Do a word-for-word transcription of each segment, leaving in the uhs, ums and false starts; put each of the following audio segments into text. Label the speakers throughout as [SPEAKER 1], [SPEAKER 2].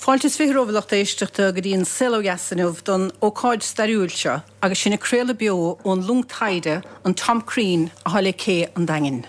[SPEAKER 1] Fáilte is fiche romhaibh a lucht éisteachta go dtí an Saol Ó Dheas inniu don ócáid stairiúil seo agus sinn ag craoladh beo ón long taighde an Tom Crean atá le Cé an Daingin.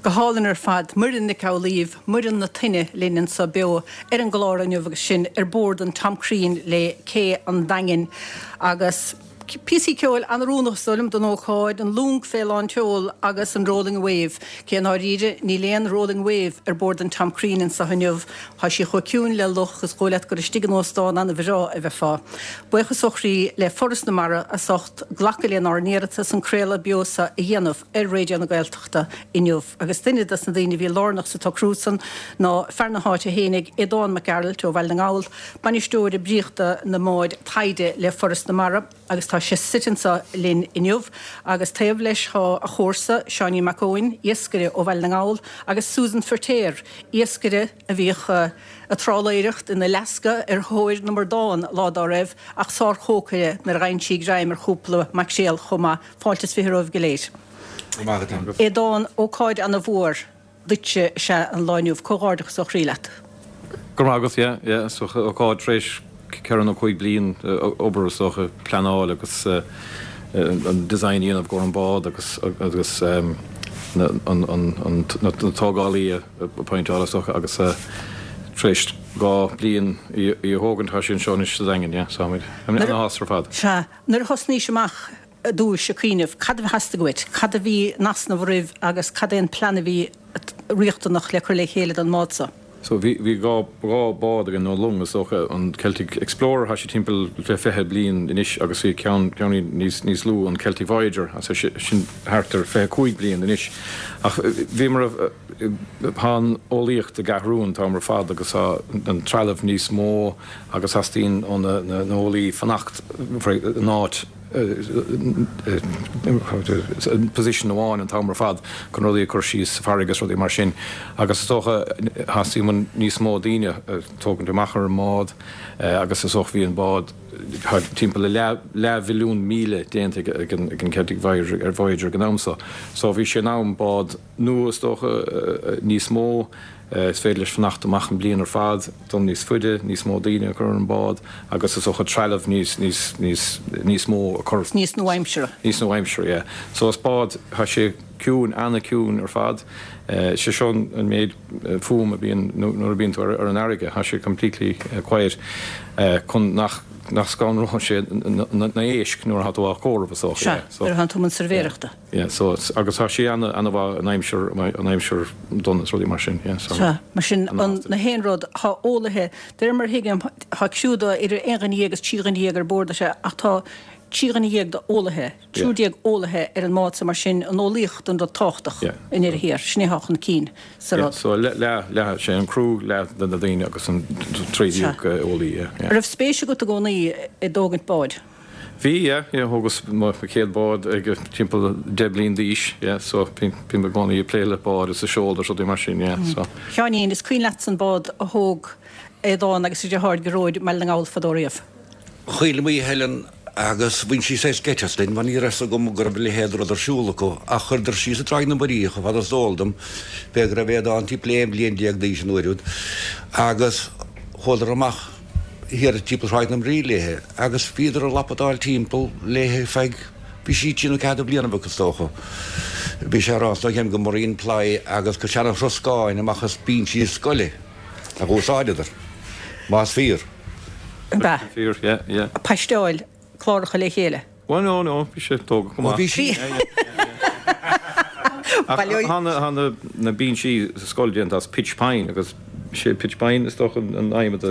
[SPEAKER 1] Go hálainn ar fad, Muireann Nic Amhlaoibh, Muireann na Toinne linn anseo beo ar an gclár inniu agus sinn ar bord an Tom Crean le Cé an Daingin agus píosaí ceoil an-oiriúnach is dóigh liom don ócáid, an long fé lán tseoil agus an Rolling Wave. Cé i ndáiríre níl aon Rolling Wave ar bord an Tom Crean anseo inniu, tá sí chomh ciúin le luch is dóigh leat gur istigh in óstán an-bhreá a bheifeá. Buíochas ó chroí le Foras na Mara as ucht glacadh lenár n-iarratas an craoladh beo seo a dhéanamh ar Raidió na Gaeltachta inniu. Agus duine des na daoine a bhí lárnach sa tsocrú san ná fear na háite fhéinig, Aodán Mac Gearailt ó Bhaile na nGall, Bainisteoir Oibríochta na mbád taighde le Foras na Mara, agus tá sé suite anseo linn inniu. Agus taobh leis tá a chomharsa, Seáinín Mac Eoin, iascaire ó Bhaile na nGall, agus Susan Feirtéar, iascaire a bhíodh ag trálaeireacht in Alaska ar thóir na mbradán lá dá raibh, ach sárchócaire nuair a gheibheann sí greim ar chúpla maicréal chomh maith. Fáilte is fiche romhaibh go léir. Aodán, ócáid ana-mhór duitse is ea an lá inniu. Comhghairdeachas ó chroí leat.
[SPEAKER 2] Go raibh maith agat, yeah, yeah, is ócáid tar éis ceithre nó cúig bliain obair is dócha, pleanáil agus an design a dhéanamh i gcomhair an bád agus agus na na tógálaí a appointáil is dócha agus tar éis dhá bliain í a thógaint tá sí anseo anois sa Daingean, yeah, so táimid ana-shásta ar fad.
[SPEAKER 1] Sea, nuair a thosnaís amach i dtús ag cuimhneamh, cad a theastaigh uait, cad a bhí in easnamh roimh agus cad é an plean a bhí riachtanach le cur le chéile don mbád so?
[SPEAKER 2] So bhí, bhí dhá, dhá bád againn, nó long is dócha, an Celtic Explorer, tá sé timpeall le fiche bliain anois agus bhí ceann, ceann níos, níos lú, an Celtic Voyager, so sin thart ar fiche cúig bliain anois. Ach bhíomar, tá an eolaíocht ag athrú an t-am ar fad agus tá an trealamh níos mó agus theastaíonn ó na, na eolaí fanacht in áit, position amháin an t-am ar fad chun rudaí a chur síos sa bhfarraige is rudaí mar sin agus is dócha theastaigh uainn níos mó daoine a tógaint amach ar an mbád agus is dócha bhí an bád timpeall le leathmhilliún míle déanta ag an Celtic Voyager ag an am so. So bhí sé in am bád nua is dócha níos mó Is féidir leis fanacht amach an bliain ar fad, dul níos faide, níos mó daoine a chur ar an bád agus is dócha trealamh níos, níos, níos, níos mó a chur.
[SPEAKER 1] Níos nua-aimseartha.
[SPEAKER 2] Níos nua-aimseartha, yeah. So is bád, tá sé ciúin, ana-chiúin ar fad. Sé seo an méid fuaim a bhíonn nuair a bhíonn tú ar an fharraige, tá sé completely quiet chun nach, nach scanródh sé na héisc nuair atá tú á chomhaireamh is dócha,
[SPEAKER 1] yeah. Sea, nuair atá tú i mbun suirbhéireachta.
[SPEAKER 2] Yeah, so it's, agus tá sí ana, ana-mhaith in aimsir, in aimsir dona is rudaí mar sin, yeah, so.
[SPEAKER 1] Sea, mar sin, an, na haon rud, tá eolaithe, de réir mar a thuigim, tá criú de idir aon dhuine dhéag agus trí dhuine dhéag ar bord, sea, ach tá trí dhuine dhéag d'eolaithe, triúr déag eolaithe ar an mbád so, mar sin, an eolaíocht an rud tábhachtach
[SPEAKER 2] Yeah.
[SPEAKER 1] i ndeireadh thiar, sin é atá chun cinn sa
[SPEAKER 2] Yeah,
[SPEAKER 1] rud.
[SPEAKER 2] so leath, leath, leath, sé an criú, leath de na daoine agus an triúr
[SPEAKER 1] Sea.
[SPEAKER 2] déag eolaí, yeah, yeah.
[SPEAKER 1] An raibh spéis agat i gcónaí i dtógaint báid?
[SPEAKER 2] Bhí, yeah, yeah, thógas mo chéad bád ag timpeall deich bliain d'aois, yeah, so bím i gcónaí ag plé le bád is a seol is rudaí mar sin, yeah, so.
[SPEAKER 1] Sheáinín, is cuimhin leatsa an bád a thóg Aodán agus a dheartháir Gearóid i mBaile na nGall fadó riamh?
[SPEAKER 3] Chuala mé Helen agus bhain sí saghas geit as linn mar ní raibh 'fhios agam go raibh a leithéid de rud ar siúl acu ach chuireadar síos i dTráigh na Muirí chomh fada is eol dom, b'fhéidir go raibh Aodán timpeall aon bhliain déag d'aois an uair úd agus chuadar amach thiar timpeall Thráigh na Muirí léithe agus bhíodar ag lapadáil timpeall léithe feadh, bhí sí trí nó ceathair de bhlianaibh acu is dócha. Bhí sé ag rá ansan go marine ply agus go seana throscáin amach as binsí scoile a dh'úsáideadar, más fíor.
[SPEAKER 1] Ab ea?
[SPEAKER 2] Fíor, yeah, yeah.
[SPEAKER 1] Paisteáil cláracha le chéile.
[SPEAKER 2] Well no, no, bhí sé tógtha go maith.
[SPEAKER 3] Bhí sí.
[SPEAKER 2] Ach tá na binsí sa scoil déanta as pitch pine agus sé pitch pine is dócha an adhmad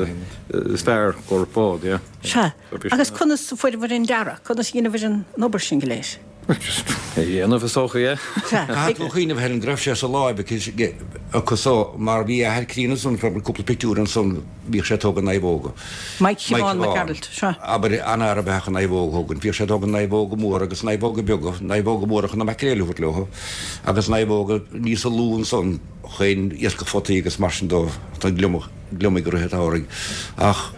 [SPEAKER 2] is fearr i gcomhair bád, yeah.
[SPEAKER 1] Sea. Agus conas a fuaireabhair an dearadh? Conas a dheineabhair an obair sin go léir?
[SPEAKER 2] Just é dhéanamh is dócha, yeah.
[SPEAKER 1] Sea.
[SPEAKER 3] Caithfidh tú a chuimhneamh Helen go raibh sé sa láimh aici acu so mar bhí athair críonna ansan cúpla pictiúr ansan bhíodh sé ag tógaint naomhóga.
[SPEAKER 1] Mike Shiobhán Mac Gearailt, sea.
[SPEAKER 3] Abair, an-fhear ab ea chun naomhóga a thógaint. Bhíodh sé ag tógaint naomhóga móra agus naomhóga beaga, naomhóga móra chun na maicréil a thabhairt leo agus naomhóga níosa lú ansan chun iascach photaí agus mar sin dó, don gliomach, gliomaigh i rith an tsamhraidh. Ach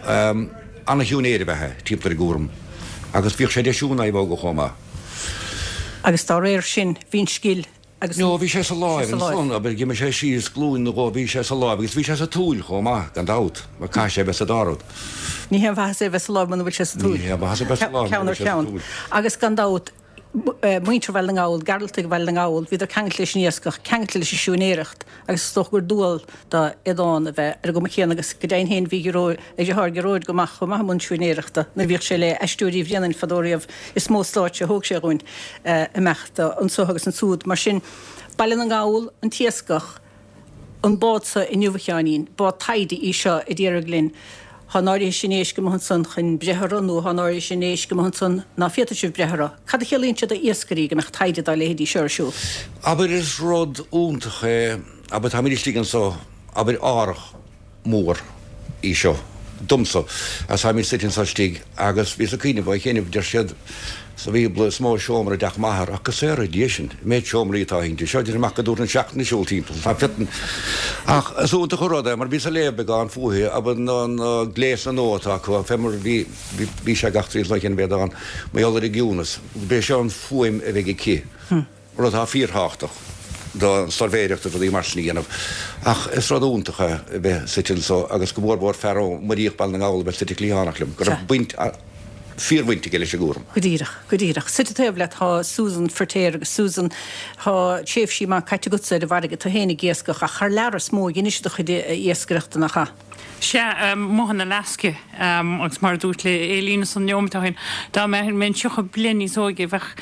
[SPEAKER 3] ana-shiúinéir ab ea é timpeall ar an gcúram agus bhíodh sé ag deisiú naomhóga chomh maith.
[SPEAKER 1] Agus dá réir sin, bhí an scil agus
[SPEAKER 3] No, bhí sé sa láimh ansan, abair, d'imigh sé síos glúin nó dhó, bhí sé sa láimh agus bhí sé sa tsúil chomh maith, gan dabht, mar caithfidh sé a bheith sa dá rud.
[SPEAKER 1] Ní haon mhaitheas é a bheith sa láimh muna bhfuil sé sa tsúil.
[SPEAKER 3] Ní haon mhaitheas a bheith sa láimh
[SPEAKER 1] muna
[SPEAKER 3] bhfuil sé sa
[SPEAKER 1] Ceann ar
[SPEAKER 3] tsúil.
[SPEAKER 1] cheann. Agus gan dabht, muintir Bhaile na nGall, Gearaltaigh Bhaile na nGall, bhíodar ceangailte leis an iascach, ceangailte leis an siúinéireacht agus is dócha gur dual do Aodán a bheith ar an gcuma chéanna agus go deimhin féin bhí a dheartháir Gearóid go maith chomh maith i mbun siúinéireachta nuair a bhíodh sé le Aisteoirí Bhréanainn fadó riamh is mó stáitse a thóg sé dhúinn imeacht anso agus ansúd. Mar sin, Baile na nGall, an t-iascach, an bád so inniu a Sheáinín, bád taighde í seo a déarfadh linn, thá an áirithe sin éisc amuigh ansan chun breith orthu nó thá an áirithe sin éisc amuigh ansan ná féadfaidh sibh breith orthu. Cad a chiallaíonn sé do iascairí go mbeadh taighde dá leithéidí seo ar siúl?
[SPEAKER 3] Abair is rud iontach é, abair táimid istigh anso, abair árthach mór í seo domsa agus táimid suite anso istigh agus bhíos ag cuimhneamh á chinneamh, deir siad sa Bhíobla is mó seomra i dteach m'athar ach go saora Dia sinn, an méid seomraí atá inti seo, deirim ach go dtabharfainn seachtain ag siúl timpeall, tá fiotan. Ach is iontach an rud é mar bhíos ag léamh beagán fúithi, abair na na gléasanna nua atá acu, fé mar bhí bhí sé gach trí lá chéanna bhéad ann, mar gheall ar an gciúnas, b'é seo an fuaim a bheidh aici. rud atá fíorthábhachtach don suirbhéireacht agus rudaí mar sin a dhéanamh. Ach is rud iontach é a bheith suite anso agus go mór mhór fear ó Muiríoch Baile na nGall a bheith suite cliathánach liom, go raibh baint, fíorbhaint aige leis an gcúram.
[SPEAKER 1] Go díreach, go díreach. Suite taobh leat tá Susan Firtéar agus Susan, tá tréimhsí maith caite agatsa ar an bhfarraige, tú féin ag iascach ach thar lear is mó a dheinis do chuid iascaireachta, nach ea?
[SPEAKER 4] Sea, amuigh in Alaska, agus mar a dúirt le Aileen ansan neomat ó shin, dá mbeinn tríocha bliain níos óige bheadh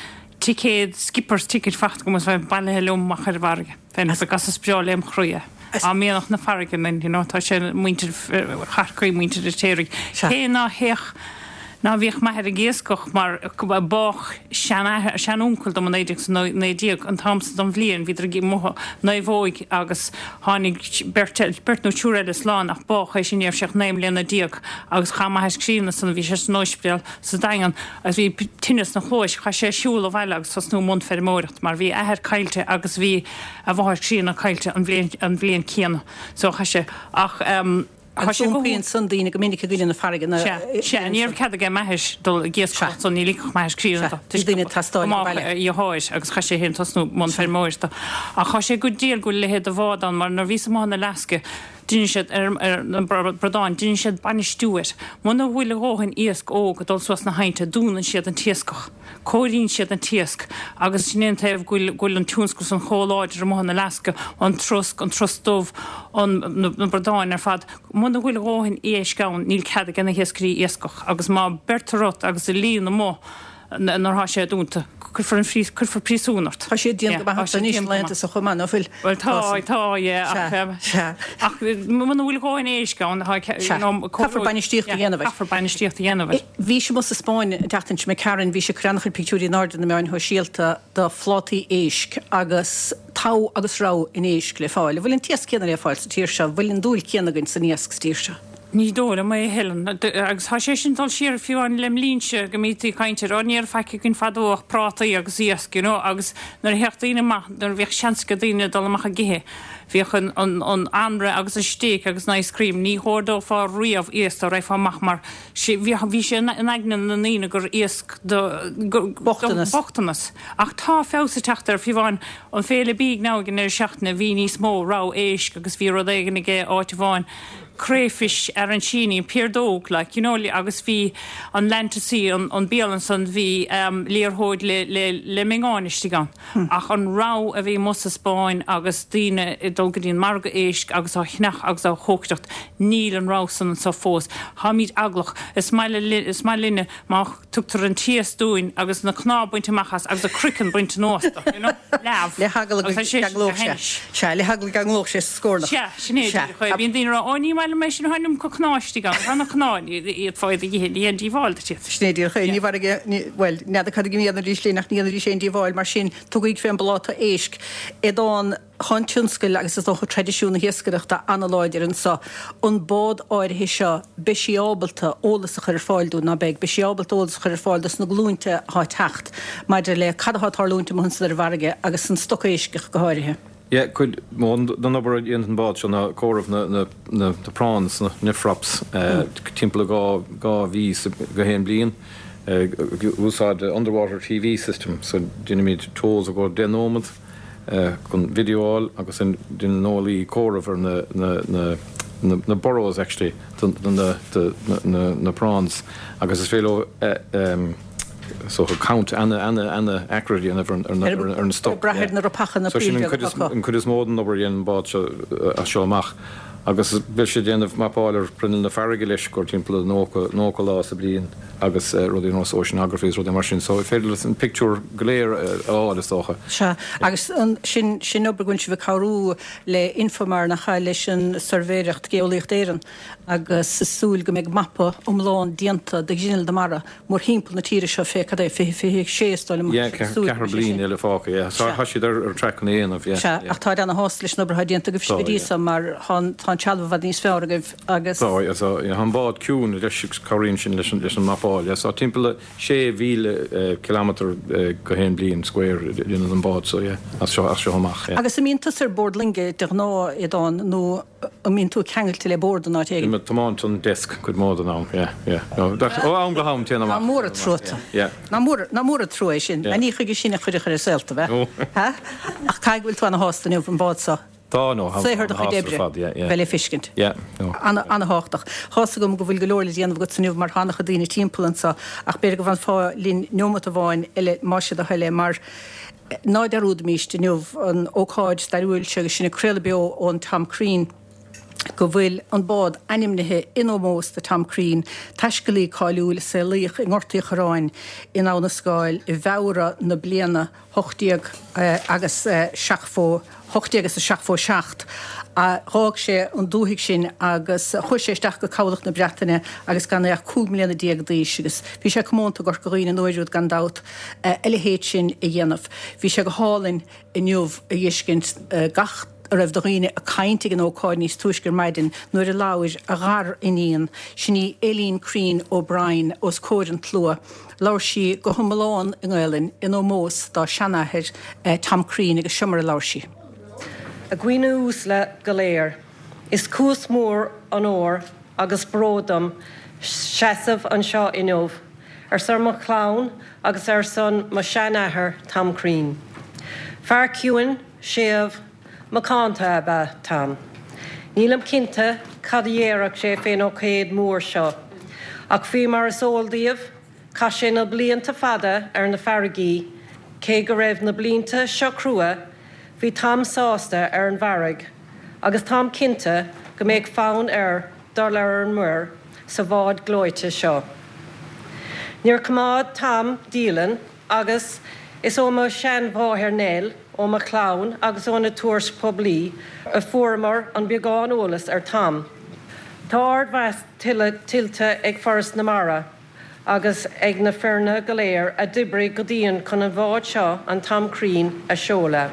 [SPEAKER 4] ticéad, skipper's ticket faighte agam agus bheinn bailithe liom amach ar an bhfarraige. Bheinn agus is breá lem chroí é. Á mianach na farraige linn, you know, tá sé muintir Chorcaí, muintir Fheirtéaraigh. Cé ná théadh, ná bhíodh m'athair ag iascach mar bádh seanathair, seanúncail dom i naoi déag is a naoi déag, an t-am san den bhliain, bhíodar ag amuigh naomhóig agus tháinig beirt, beirt nó triúr eile slán ach bádh é sin, ní raibh sé ach naoi mbliana déag agus chaith m'athair críonna san, bhí sé san ospidéal sa Daingean agus bhí tinneas 'na chluais. Chaith sé siúl abhaile agus tosnú i mbun feirmeoireacht mar bhí a athair caillte agus bhí a mháthair críonna caillte an bhliain an bhliain céanna. So chaith sé ach ehm
[SPEAKER 1] Agus iompraíonn san daoine go minic i gcoinne na farraige na
[SPEAKER 4] Sea, sea, ní raibh cead aige m'athair dul ag iascaireacht so ní ligfeadh m'athair críonna dó
[SPEAKER 1] Bhí daoine ag teastáil
[SPEAKER 4] go mbeadh a dheartháir agus chaith sé féin tosnú i mbun feirmeoireachta. Ach tá sé go diail go bhfuil a leithéid de bhád ann mar nuair a bhíos amuigh in Alaska Deineann siad ar na bradáin, deineann siad bainistiú air. Muna bhfuil a dhóthain iasc óg ag dul suas na haibhnte, dúnann siad an t-iascach. Cóiríonn siad an t-iasc agus sin é an taobh go bhfuil, go bhfuil an tionscal san chomh láidir amuigh in Alaska, an trosc, an trosc dubh, an, na bradáin ar fad. Muna bhfuil a dhóthain éisc ann, níl cead ag na hiascairí iascach agus má beirtear ort agus i líon amuigh, nuair atá sé dúnta, cuirfear an cuirfear príosún ort.
[SPEAKER 1] Tá sé dian go maith anois na laethanta seo chomh maith, ná fuil?
[SPEAKER 4] Bhuel tá, tá, yeah, ach
[SPEAKER 1] Sea,
[SPEAKER 4] ach muna bhfuil a dhóthain éisc ann, tá,
[SPEAKER 1] you know, caithfear bainistíocht a dhéanamh air.
[SPEAKER 4] Caithfear bainistíocht a dhéanamh air.
[SPEAKER 1] Bhí sibh amuigh sa Spáinn an tseachtain seo imigh tharainn, bhí sibh ag cur an-chuid pictiúirí in airde ar na meáin shóisialta de phlátaí éisc agus togha agus rogha an éisc le fáil. An bhfuil an t-iasc céanna le fáil sa tír seo? An bhfuil an dúil céanna againn san iasc sa tír seo?
[SPEAKER 4] Ní dóigh liom é a Helen, agus tá sé sin dul siar fiú amháin lem linnse go mbítí ag caint air, ó ní raibh faic againn fadó ach prátaí agus iasc, you know, agus nuair a théadh daoine amach, nuair a bhíodh seans ag daoine dul amach ag ithe, bhíodh an, an, an anraith agus an steak agus an ice cream, ní hordófá riamh iasc dá raghfá amach mar sé, bhí, bhí sé in aigne na ndaoine gur iasc do, do,
[SPEAKER 1] Bochtanas.
[SPEAKER 4] bochtanas. Ach tá feabhas ag teacht air, fiú amháin an Féile Bídh now ag an deireadh seachtaine bhí níos mó rogha éisc agus bhí rud éigin aige áit amháin crayfish arancini, piardóg, like, you know, agus bhí an Lantasy, an, an bialann san, bhí um, liathróid le, le, le miongáin istigh ann. Hmm. Ach an rogha a bhí amuigh sa Spáinn agus daoine ag dul go dtí an margadh éisc agus á cheannach agus á chócaireacht, níl an rogha san anseo fós. Táimid eaglach, is maith le, is maith linne má tugtar an t-iasc dúinn agus na cnámha bainte amach as agus a craiceann bainte anuas do, you know, leamh.
[SPEAKER 1] Le heagla go
[SPEAKER 4] Agus tá sé
[SPEAKER 1] gceanglódh sé. Sea, le heagla go gceanglódh sé sa scornach.
[SPEAKER 4] Sea, sin é
[SPEAKER 1] Sea.
[SPEAKER 4] díreach é. Bíonn daoine ag rá, ó ní maith liom é sin tháinig go cnámha istigh ann, tá na cnámha iad fáid a dhíthe, ní haon díobháil duit iad.
[SPEAKER 1] Sin é díreach é. Ní mhairge, bhuel, n'fheadar cad a dhéanfaidís linn ach ní dhéanfaidís aon díobháil mar sin tugaig fén bpláta éisc. Aodán tá an tionscal agus is dócha traidisiún na hiascaireachta an-láidir anseo. An bád áirithe seo beidh sí ábalta eolas a chur ar fáil dúinn ná beidh, beidh sí ábalta eolas a chur ar fáil dos na glúinte atá ag teacht maidir le cad atá ag tarlúint amuigh ansan ar an bhfarraige agus an stoc éisc go háirithe.
[SPEAKER 2] Yeah, cuid mó den obair a dhéanann an bád seo ná comhaireamh na, na, na, na prawns, na nephrops, uh, timpeall dhá, dhá mhí sa- go haon bliain. Uh, úsáid underwater TV system, so déanaimid tows a go deich nóiméad uh, chun videoáil agus an déanann eolaí comhaireamh ar na, na, na, na, na burrows actually, do, do, na, do, na, na, na prawns agus is féidir leo uh, um, so count ana ana ana accurate dhéanamh ar, ar, ar, ar, ar na stoc.
[SPEAKER 1] Brath ar na ropacha na
[SPEAKER 2] So sin an cuid is-
[SPEAKER 1] príomh
[SPEAKER 2] an cuid is mó den obair dhéanann bád seo as seo amach. Agus beidh sé déanamh mapáil ar bruinneall na farraige leis gur timpeall nócha nócha lá sa bliain agus uh, rudaí nós oceanography is rudaí mar sin, so féidir leis an pictiúr go léir uh, a fháil is dócha.
[SPEAKER 1] Sea, agus an, sin, sin obair go bhfuil sibh ag cabhrú le Infomar nach ea leis an Suirbhéireacht Geolaíocht Éireann agus is súil go mbeidh mapa iomlán déanta de ghrinneall na mara mórthimpeall na tíre seo fé cad é fiche fiche sé is dóigh liom.
[SPEAKER 2] Yeah, ceathair bliain eile fágtha, yeah. So
[SPEAKER 1] Sea.
[SPEAKER 2] tá siad ar ar track an éanamh, yeah.
[SPEAKER 1] Sea,
[SPEAKER 2] yeah.
[SPEAKER 1] ach tá ana-shásta leis an obair atá déanta agaibh
[SPEAKER 2] Tá,
[SPEAKER 1] go dtí
[SPEAKER 2] yeah.
[SPEAKER 1] seo mar tá tá an trealamh i bhfad níos fearr agaibh agus
[SPEAKER 2] Tá, yeah, so, yeah, an bád ciúin leis cabhraíonn sin leis an leis an mapáil, yeah. So timpeall sé mhíle uh, kilometer uh, go haon bliain square déanann an bád, so yeah, as seo as seo amach, yeah.
[SPEAKER 1] Agus an mbíonn tú ar bord loinge de ghnáth Aodán nó an mbíonn tú ceangailte le bord an áit éigin.
[SPEAKER 2] Ag tiomáint an desk cuid mó den am, yeah, yeah. No, ó am go ham téann
[SPEAKER 1] Ná
[SPEAKER 2] amach.
[SPEAKER 1] mór an trua.
[SPEAKER 2] Yeah.
[SPEAKER 1] Ná mór ná mór an trua é sin,
[SPEAKER 2] Yeah.
[SPEAKER 1] a ní chuige sin a chuir chur saolta bheith.
[SPEAKER 2] No.
[SPEAKER 1] Ha? Ach caithfidh go bhfuil tú ana-shásta inniu an bád seo.
[SPEAKER 2] Tá nó
[SPEAKER 1] Saothar do chuid oibre
[SPEAKER 2] fad, yeah, yeah.
[SPEAKER 1] bheith le feiscint.
[SPEAKER 2] Yeah, no.
[SPEAKER 1] Ana-thábhachtach. Tá 's agam go bhfuil go leor le déanamh agat inniu mar tá an-chuid daoine timpeall anseo ach b'fhéidir go bhfanfá linn neomat amháin eile má sé do thoil é mar ná dearúdaimís inniu an ócáid stairiúil seo agus sin ag craoladh beo ón Tom Crean go bhfuil an bád ainmnithe in ómós do Tom Crean, taiscéalaí cáiliúil a saolaíodh i nGort Uí Chorráin in Abha na Scáil i bhFeabhra na bliana ocht déag agus seachtó ocht déag agus a seachtó seacht. A d'fhág sé an dúthaigh sin agus chuaigh sé isteach go cabhlach na Breataine agus gan é ach cúig mbliana déag d'aois agus bhí sé comónta go Corca Dhuibhne an uair úd gan dabht a leithéid sin a dhéanamh. Bhí sé go hálainn inniu a fheiscint gach a raibh de dhaoine ag caint ag an ócáid níos túisce ar maidin nuair a labhair a ghariníon sin í Aileen Crean O'Brien os comhair an tslua. Labhair sí go hiomlán i nGaelainn in ómós dá seanathair eh, Tom Crean agus seo mar a labhair sí.
[SPEAKER 5] A dhaoine uaisle go léir. Is cúis mór onóir agus bród dom seasamh anseo inniu, ar son mo chlann agus ar son mo sheanathair Tom Crean. Fear ciúin séimh macánta ab ea Tom. Nílim cinnte cad a déarfadh sé fén ócáid mór seo. Ach faoi mar is eol daoibh, chaith sé na blianta fada ar na farraigí, cé go raibh na blianta seo crua, bhí Tom sásta ar an bhfarraige, agus táim cinnte go mbeadh fonn air dul ar an muir sa bhád gleoite seo. Níor choimeád Tom dialann agus is ó mo sheanmháthair Nell ó mo chlann agus ó na tuairisc poiblí a fuaireamar an beagán eolas ar Tom. Tá ardmheas tuillte ag Foras na Mara agus ag na foirne go léir a d'oibrigh go dian chun an bhád seo an Tom Crean a seoladh.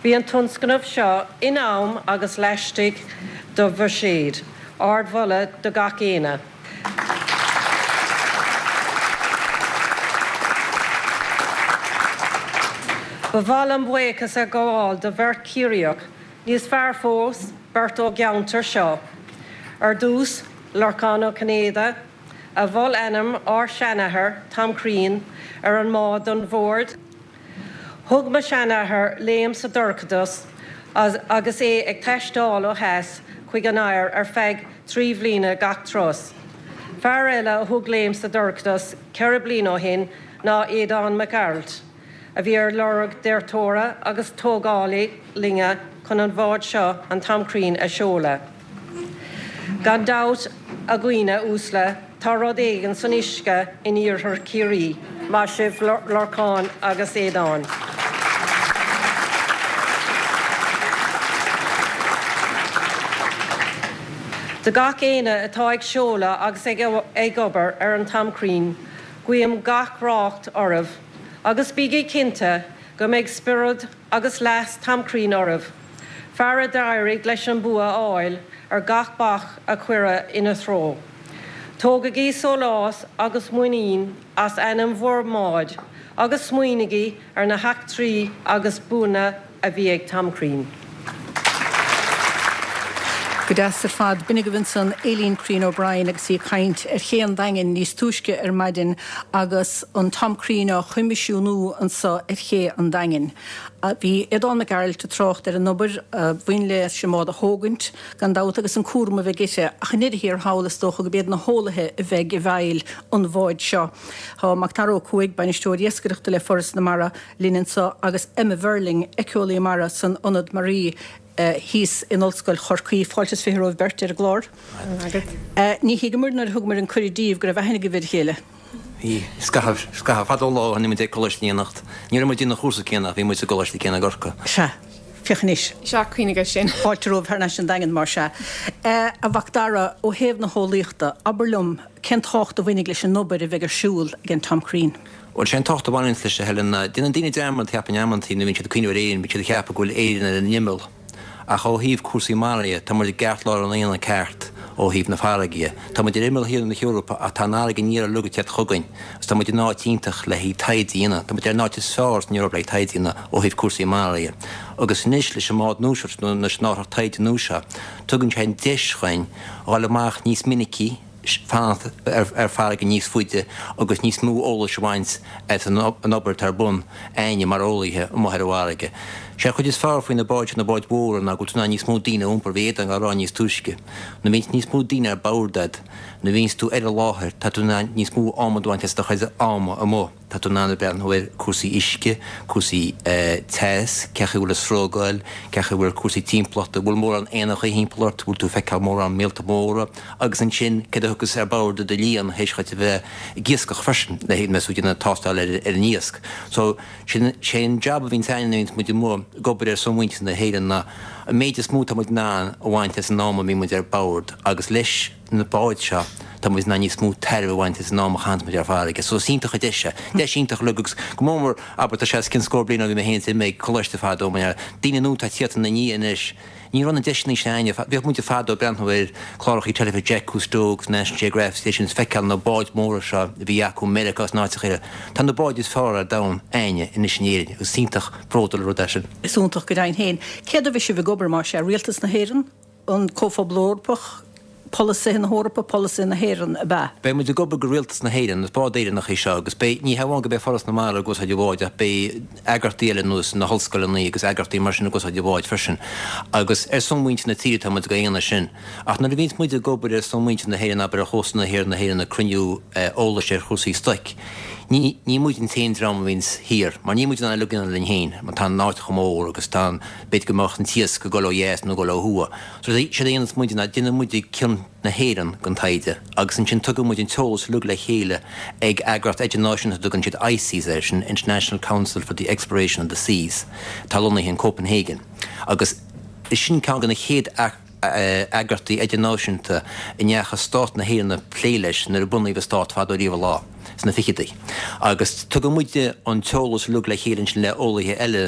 [SPEAKER 5] Bhí an tionscnamh seo in am agus laistigh de bhuiséad, Ardmholadh do gach éinne. Ba mhaith liom buíochas a ghabháil do bheirt Chiarraíoch, níos fearr fós, beirt ón gceantar seo. Ar dtús, Lorcán Ó Cinnéide, a mhol ainm ár seanathar, Tom Crean, ar an mbád don bhord. Thug mo sheanathair léim sa dorchadas agus é ag taisteal ó theas chuig an oighear ar feadh trí bhliana gach turas. Fear eile a thug léim sa dorchadas ceithre bliana ó shin ná Aodán Mac Gearailt, a bhí ar lorg dearthóra agus tógálaí loinge chun an bhád seo, an Tom Crean, a sheoladh. Gan dabht, a dhaoine uaisle, tá rud éigin san uisce in iarthar Chiarraí. Maith sibh, Lorcán agus Aodán. Do gach éinne atá ag seoladh agus ag obair ar an Tom Crean, guím gach rath oraibh agus bígí cinnte go mbeidh spiorad agus leas Tom Crean oraibh, fear a d'éirigh leis an bua a fháil ar gach bac a cuireadh ina threo. Tógaigí sólás agus muinín as ainm bhur mbáid agus smaoinígí ar na heachtraí agus buanna a bhí ag Tom Crean.
[SPEAKER 1] Go deas ar fad. B'in agaibh ansan Aileen Crean O'Brien agus í ag caint ar ché an Daingin níos túisce ar maidin agus an Tom Crean á choimisiúnú anso ar ché an Daingin. Bhí Aodán Mac Gearailt ag trácht ar an obair a bhain leis an mbád a thógaint, gan dabht, agus an cúram a bheidh uirthi, ach i ndeireadh thiar thall is dócha go b'iad na heolaithe a bheidh i bhfeighil an bháid seo. Tá Macdara Ó Cuaig, Bainisteoir Iascaireachta le Foras na Mara, linn anso agus Emma Verling, éiceolaí mara san Ionad Maraí thíos in Ollscoil Chorcaí. Fáilte is fiche romhaibh beirt ar an gclár. Ní thuigeamar nuair a thugamar an cuireadh daoibh go raibh aithne agaibh ar a chéile.
[SPEAKER 6] Bhí. Scaitheamh, scaitheamh fada ó lá ó bhí muid ag coláiste in éineacht. Ní raibh muid in an chúrsa céanna ach bhí muid sa gcoláiste céanna i gCorcaigh.
[SPEAKER 1] Sea. Féach anois.
[SPEAKER 7] Sea, cuimhnigh air sin.
[SPEAKER 1] Fáilte romhaibh thar n-ais an Daingean mar sea. A Mhacdara, ó thaobh na heolaíochta, abair liom cén tábhacht a bhainfidh leis an obair a bheidh ar siúl ag an Tom Crean?
[SPEAKER 6] Bhuel, sé an tábhacht a bhaineanns leis, a Helen, ná déanann daoine dearmad, cheapfainn, amantaí nuair a bhíonn siad ag cuimhneamh ar Éirinn, bíonn siad ag ceapadh go bhfuil Éirinn ar an imeall. Ach ó thaobh cúrsaí mara dhe, tá muid i gceartlár an aonaigh ceart ó thaobh na farraige dhe. Tá muid ar imeall thiar na hEorpa ach tá an fharraige aniar uilig ag teacht chugainn agus tá muid in áit iontach le haghaidh taighde a dhéanamh. Tá muid ar an áit is fearr san Eoraip le haghaidh taighde a dhéanamh ó thaobh cúrsaí mara dhe. Agus anois leis an mbád nua seo, nó leis an árthach taighde nua seo, tugann sé an deis dhuinn dhul amach níos minicí, fanacht ar farraige níos faide agus níos mó eolais a bhaint as an obair atá ar bun a'inne mar eolaithe amuigh ar an bhfarraige. Sé an chuid is fearr faoi na báid seo, na báid mhóra, ná go bhfuil tú in ann níos mó daoine a iompar, bhí Aodán á rá níos túisce. Nuair a bhíonns níos mó daoine ar bord a'd, nuair a bhíonns tú ar an láthair, tá tú in ann níos mó ama a bhaint as do chuid ama amuigh. Tá tú in ann a breathnú ar cúrsaí uisce, cúrsaí teas, cé chaoi a bhfuil an sruth ag goil, cé chaoi a bhfuil cúrsaí timpeallachta, bhfuil mórán éanacha thimpeall ort, bhfuil tú ag feiceáil mórán míolta móra, agus ansin céard a thiocfas ar bord i do líon théis dhuit a bheith ag iascach freisin, le haghaidh mbeidh tú ag déanamh tástáil ar an iasc. So, sin, sé an jab a bhíonns a'inn nuair a bhíonns muid amuigh ag obair ar son mhuintir na hÉireann ná an méid is mó atá muid in ann a bhaint as an am a mbíonn muid ar bord agus leis na báid seo, tá muid in ann níos mó tairbhe a bhaint as an am a chaitheanns muid ar farraige. So is iontach an deis é. Deis iontach uilig agus go mór mór, abair, tá sé os cionn scór bliain ó bhí mé féin imithe ag coláiste fadó, mar daoine nua atá ag tíocht ina ndiaidh anois, ní raibh na deiseanna sin a'inne. Bhíodh muid fadó ag breathnú ar chláracha teilifíse Jacques Cousteau agus National Geographic is ag feiceáil na báid mhóra seo a bhí acu i Meiriceá agus in áiteacha eile. Tá na báid is fearr ar domhan a'inne anois in Éirinn agus is iontach bródúil an rud é sin.
[SPEAKER 1] Is iontach go deimhin féin. Cé dó a bheidh sibh ag obair, más ea? Rialtas na hÉireann? An Comhphobal Eorpach? Polasaithe na hEorpa, polasaithe na hÉireann, ab ea?
[SPEAKER 6] Beidh muid ag obair do Rialtas na hÉireann, is bád Éireannach é seo agus beidh, ní hamháin go mbeidh Foras na Mara ag úsáid an bháid ach beidh eagraíochtaí eile ar nós na hollscoileanna agus eagraíochtaí mar sin ag úsáid an bháid freisin. Agus ar son mhuintir na tíre atá muid ag déanamh sin. Ach nuair a bhíonns muid ag obair ar son mhuintir na hÉireann, abair ar chósta na thiar na hÉireann ag cruinniú eolais ar chúrsaí stoic, ní, ní muid an t-aon dream a bhíonns thiar, mar níl muid in ann uilig a dhéanamh linn féin, mar tá an áit chomh mór agus tá an, b'fhéidir go mbeadh an t-iasc ag dul ó dheas nó ag dul ó thuaidh. So séard a dhéananns muid ná déanann muid cionn na hÉireann den taighde agus ansin tugann muid an t-eolas uilig le chéile ag eagraíocht idirnáisiúnta a dtugann siad ICES air, sin International Council for the Exploration of the Seas, atá lonnaithe in Copenhagen agus sin ceann de na chéad eagraíochtaí idirnáisiúnta a ndeachaigh stát na hÉireann ag plé leis nuair a bunaíodh an stát fadó riamh an lá, sna fichidí. Agus tugann muide an t-eolas uilig le chéile ansin le eolaithe eile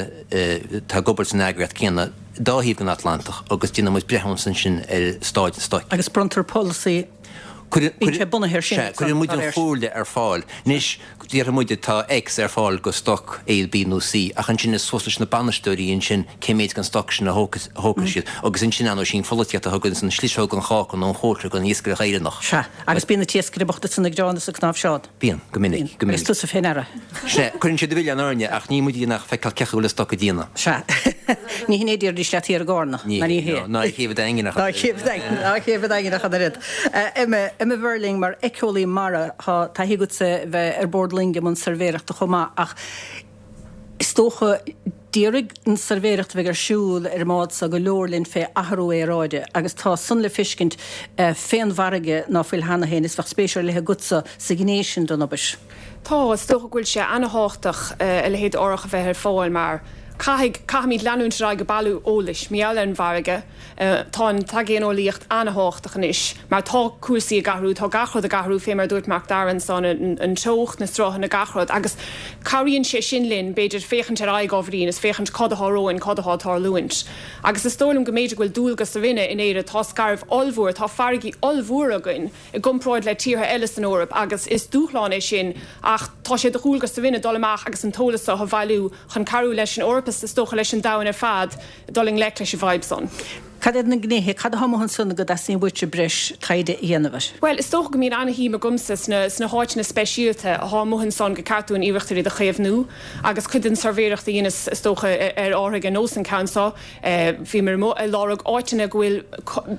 [SPEAKER 6] atá ag obair san eagraíocht céanna. dá thaobh den Atlantach agus déanann muid breithiúnas ansin ar staid an stoic.
[SPEAKER 1] Agus bronntar polasaí Bíonn sé bunaithe air sin.
[SPEAKER 6] Sea, cuireann muid an chomhairle ar fáil. Anois, déarfaidh muid tá X ar fáil go stoc A, B nó C, ach ansin is suas leis na bainisteoirí ansin cé méid den stoc sin a thógfaidh siad. Agus ansin, ar ndóigh, sí an pholaitíocht a thugann an sliseog, an cháca nó an chóisir don iascaireacht Éireannach.
[SPEAKER 1] Sea, agus bíonn na t-iascairí bochta san ag gearán is ag cnáimhseán.
[SPEAKER 6] Bíonn, go minic, go minic.
[SPEAKER 1] Agus tusa fé ndeara.
[SPEAKER 6] Sea, cuireann siad an milleán orainne, ach ní muid ach feiceáil cé acu a bhfuil an stoc ag déanamh.
[SPEAKER 1] Sea. Ní hin é déarfaidís leat thiar i gCarna.
[SPEAKER 6] Ní
[SPEAKER 1] Ná ní hé.
[SPEAKER 6] Ná i gCéibh an Daingin ach
[SPEAKER 1] Ná i gCéibh an Daingin, ná i gCéibh an Daingin ach an oiread. Emma, Emma Verling, mar éiceolaí mara, tá taithí agatsa bheith ar bord loinge i mbun suirbhéireachta chomh maith ach is dócha déarfaidh an suirbhéireacht a bheidh ar siúl ar an mbád seo go leor linn fé athrú aeráide agus tá san le feiscint fén bhfarraige ná fuil cheana féin is bheadh spéis ar leith agatsa sa ghné sin den obair.
[SPEAKER 7] Tá, is dócha go bhfuil sé ana-thábhachtach a leithéid d'árthach a bheith ar fáil mar caithfidh, caithfimid leanúint ar aghaidh ag bailiú eolais mar gheall ar an bhfarraige. Tá an t-aigéaneolaíocht ana-thábhachtach anois mar tá cúrsaí ag athrú, tá gach rud ag athrú fé mar a dúirt Mac Dara ansan, an teocht, na sruthanna, gach rud agus cabhraíonn sé sin linn b'fhéidir féachaint ar aghaidh ábhairín is féachaint cad atá romhainn, cad atá ag tarlúint. Agus is dóigh liom go mb'fhéidir go bhfuil dualgas orainne in Éire, tá scairbh ollmhór, tá farraigí ollmhóra againn i gcomparáid le tíortha eile san Eoraip agus is dúshlán é sin ach tá sé de dhualgas orainne dul amach agus an t-eolas seo a bhailiú chun cabhrú leis an Eoraip is is dócha leis an domhan ar fad dul i ngleic leis an bhfadhb san.
[SPEAKER 1] Cad iad na gnéithe, cad atá amuigh ansan go dteastaíonn uaitse breis taighde a dhéanamh air?
[SPEAKER 7] Bhuel, is dócha go mbíonn ana-shuim agamsa sna sna háiteanna speisialta atá amuigh ansan gur ceart dúinn iarracht ar iad a chaomhnú agus cuid den suirbhéireacht a dheineas is dócha ar árthaigh ar nós an ceann seo, bhíomar amuigh ag lorg áiteanna go bhfuil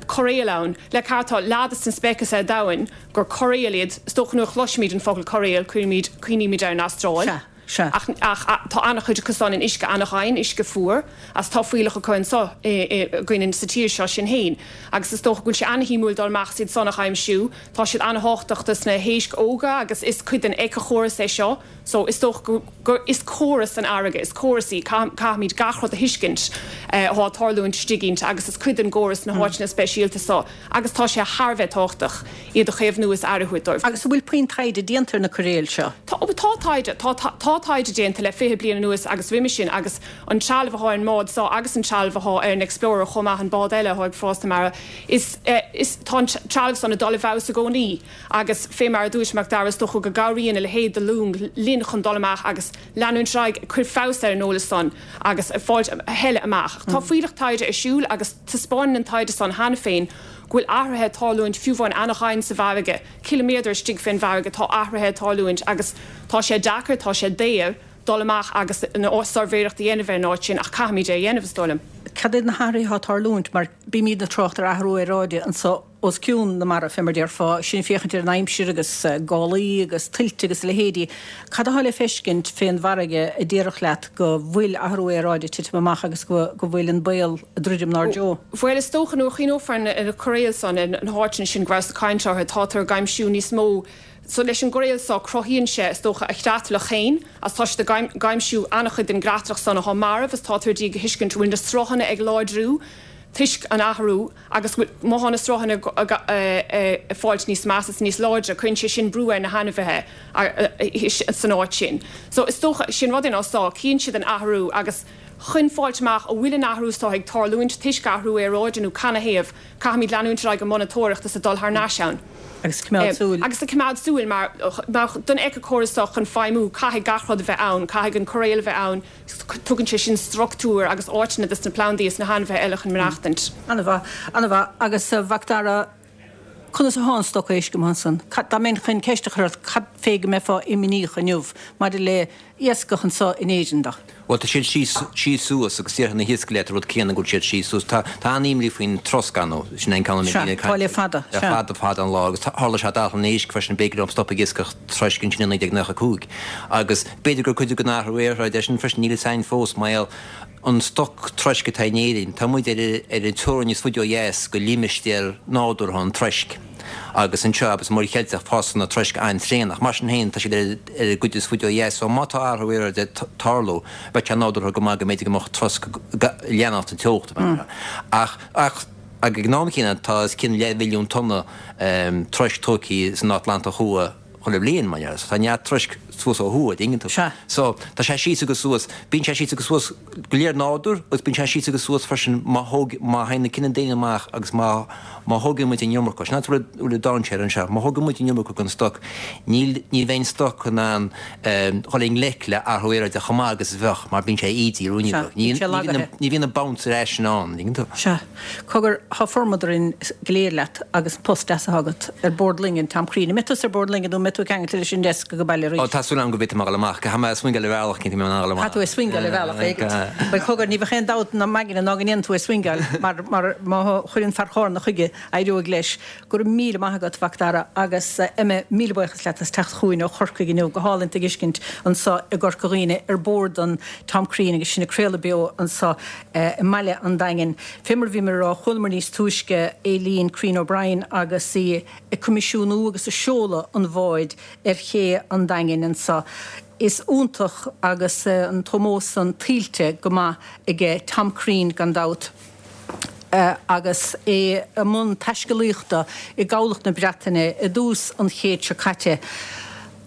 [SPEAKER 7] coiréal ann. Le ceart tá leath des na speicis ar domhan gur coiréal iad, is dócha nuair a chloisimid an focal coiréal cuirimid, cuimhnímid ar an Astráil.
[SPEAKER 1] Sea. Sea.
[SPEAKER 7] Ach, ach tá an-chuid acu san in uisce an-ghann, uisce fuar, agus tá fuílleach acu anso againn sa tír seo sin fhéin. Agus is dócha go bhfuil sé an-shuimiúil dul amach is iad san a aimsiú. Tá siad an-thábhachtach dos na héisc óga agus is cuid den éiceachóras é seo. So is dócha go, gur, is córas an fharraige, is córas í, caithfimid gach rud a thuiscint atá ag tarlúint istigh inti agus is cuid den gcóras na háiteanna speisialta so agus tá sé thar a bheith tábhachtach iad a chaomhnú is aire a thabhairt dóibh.
[SPEAKER 1] Agus an bhfuil puinn taighde déanta ar na coiréil seo?
[SPEAKER 7] Tá, tá taighde, tá, tá taighde déanta le fiche bliain anuas agus roimhe sin agus an trealamh atá ar an mbád seo agus an trealamh atá ar an Explorer chomh maith, an bád eile atá ag Fás na Mara, is, is, tá an trealamh san ag dul i bhfeabhas i gcónaí agus fé mar a dúirt Mac Dara is dócha go gcabhraíonn a leithéid de long linn chun dul amach agus leanúint ar aghaidh ag cur feabhas ar an eolas san agus ag fáilt a thuilleadh amach. Tá fuílleach taighde ar siúl agus taispeánann an taighde san cheana féin go bhfuil athruithe ag tarlúint fiú amháin an-dhoimhin sa bhfarraige, ciliméadar istigh fén bhfarraige tá athruithe ag tarlúint agus tá sé deacair, tá sé daor dul amach agus an suirbhéireacht a dhéanamh ar an áit sin ach caithfimid é a dhéanamh, is dóigh liom.
[SPEAKER 1] Cad iad na hathruithe atá ag tarlúint mar bímid ag trácht ar athrú aeráide anso os cionn na mara, fé mar déarfá, sinn ag féachaint ar an aimsir agus gálaí agus tuilte agus a leithéidí. Cad atá le feiscint fén bhfarraige a déarfadh leat go bhfuil athrú aeráide ag titim amach agus go bhfuil an baol ag druidim 'nár dtreo?
[SPEAKER 7] Bhuel, is dócha nuair a chuimhneofar ar na coiréil san, ar na háiteanna sin go rabhas ag caint orthu, tátar ag aimsiú níos mó so leis an gcoiréal so cruthaíonn sé, is dócha, a chreatlach féin agus tá siad ag aimsiú an-chuid den gcreatlach san atá marbh is tátar ag iarraidh a thuiscint go bhfuil na sruthanna ag láidriú toisc an athrú agus go bhfuil má thá na sruthanna ag fáilt níos measa is níos láidre cuireann sé sin brú ar na hainmhithe san áit sin. So is dócha, sin rud é ná so, cíonn siad an athrú agus chun fáilt amach an bhfuil an athrú so ag tarlúint toisc athrú aeráide nó canathaobh, caithfimid leanúint ar aghaidh ag monatóireacht is ag dul thar n-ais ann.
[SPEAKER 1] Agus ag coimeád súil.
[SPEAKER 7] Agus ag coimeád súil mar don éiceachóras seo chun feidhmiú caithfidh gach rud a bheith ann, caithfidh an coiréal a bheith ann, tugann sé sin struchtúr agus áiteanna dos na plandaí is na hainmhithe eile chun maireachtaint.
[SPEAKER 1] An-mhaith, an-mhaith. Agus a Mhac Dara, conas atá an stoc éisc amuigh ansan? Cad, dá mbeinn chun ceist a chur ort, cad fé go mbeifeá imníoch inniu maidir le iascach anso in Éirinn de?
[SPEAKER 6] Bhuel, tá siad síos, síos suas agus déarfaidh na hiascairí leat an rud céanna go bhfuil siad síos suas. Tá, tá an-imní faoin trosc ar ndóigh, sin é an ceann a mbíonn
[SPEAKER 1] Sea,
[SPEAKER 6] daoine ag
[SPEAKER 1] tá
[SPEAKER 6] caint
[SPEAKER 1] le fada,
[SPEAKER 6] le
[SPEAKER 1] sea.
[SPEAKER 6] fada, fada an lá agus tharla sé d'Anaclann Éisc freisin, b'éigean dóibh stop ag iascach troisc ansin i naoi déag nócha a cúig. Agus b'fhéidir gur cuid den athrú aeráide é sin freisin, níl a fhios againn fós, mar gheall an stoc troisc atá in Éirinn, tá muid ar ar an teorainn is faide ó dheas go limistéar nádúrtha an troisc. Agus anseo, abair, sa Mhuir Cheilteach, fásann na troisc an-tréan, ach mar sin féin, tá siad ar ar an gcuid is faide ó dheas, so má tá athrú aeráide ag tarlú, bheadh sé nádúrtha go maith go mb'fhéidir go mbeadh trosc ag leanacht an teocht, Ach, ach, ag an am céanna, tá os cionn leathmhilliún tonna troisc tógtha san Atlantach Thuaidh chuile bhliain, mar dhea, so tá neart troisc suas ó thuaidh, an dtuigeann tú.
[SPEAKER 1] Sea.
[SPEAKER 6] So, tá sé síos agus suas. Bíonn sé síos agus suas go léir nádúr agus bíonn sé síos agus suas freisin má thóg, má théann na cine daonna amach agus má, má thógann muid an iomarca, sin an rud a bhfuil dainséar anseo, má thógann muid an iomarca den stoc, níl, ní bheidh an stoc in ann dhul i ngleic le athrú aeráide chomh maith agus a bheadh mar bíonn sé ídithe
[SPEAKER 1] Sea, bíonn sé lagaithe.
[SPEAKER 6] Ní bhíonn an bounce ar ais in ann, an dtuigeann tú.
[SPEAKER 1] Sea. Cogar, tá formad orainn go léir leat agus an post deas atá agat ar bord loinge an Tom Crean. An mbeidh tusa ar bord loinge nó an mbeidh tú ceangailte leis an desk go baile arís?
[SPEAKER 6] Ó, tá súil agam go bhféadfaidh mé a dhul amach. Caithfidh mé swingáil ar bhealach, cinnte, mé in ann a dhul amach.
[SPEAKER 1] Caithfidh tú é swingáil ar bhealach éigin. Bhuel, cogar, ní bheadh aon dabht ná m'aigne ná go ndéanfaidh tú é swingáil mar, mar má chuireann fear Chárna chuige, éireoidh leis. Go raibh míle maith agat, a Mhac Dara, agus Emma, míle buíochas leat as teacht chugainn ó Chorcaigh inniu. Go hálainn tú a fheiscint anso i gCorca Dhuibhne ar bord an Tom Crean agus sinn ag craoladh beo anso i mbaile an Daingin. Fé mar a bhíomar a rá, chualamar níos túisce Aileen Crean O'Brien agus í ag coimisiúnú agus ag seoladh an bháid ar ché an Daingin anso. Is iontach agus an t-ómós san tuillte go maith aige Tom Crean gan dabht agus é i mbun taiscéalaíochta i gcabhlach na Breataine i dtús an chéid seo caite.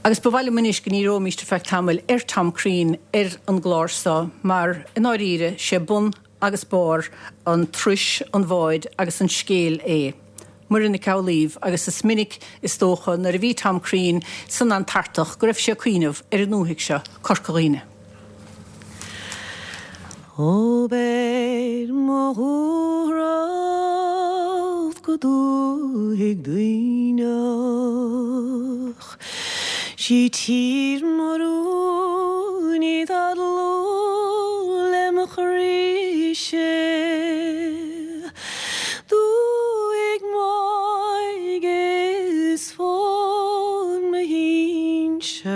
[SPEAKER 1] Agus ba mhaith liom anois go ndíreoimíst ar feadh tamaill ar Tom Crean ar an gclár seo mar, i ndáiríre, sé bun agus barr an turais, an bháid agus an scéil é. Muireann Nic Amhlaoibh, agus is minic, is dócha, nuair a bhí Tom Crean san Antartach go raibh sé ag cuimhneamh ar an ndúthaigh seo, Corca Dhuibhne.
[SPEAKER 8] Ó beir mo dhúthracht go dúthaigh Duibhneach, 'Sí tír mo rún í tá dlúth le mo chroí-se. Dúthaigh m'óige is fód mo shinsear,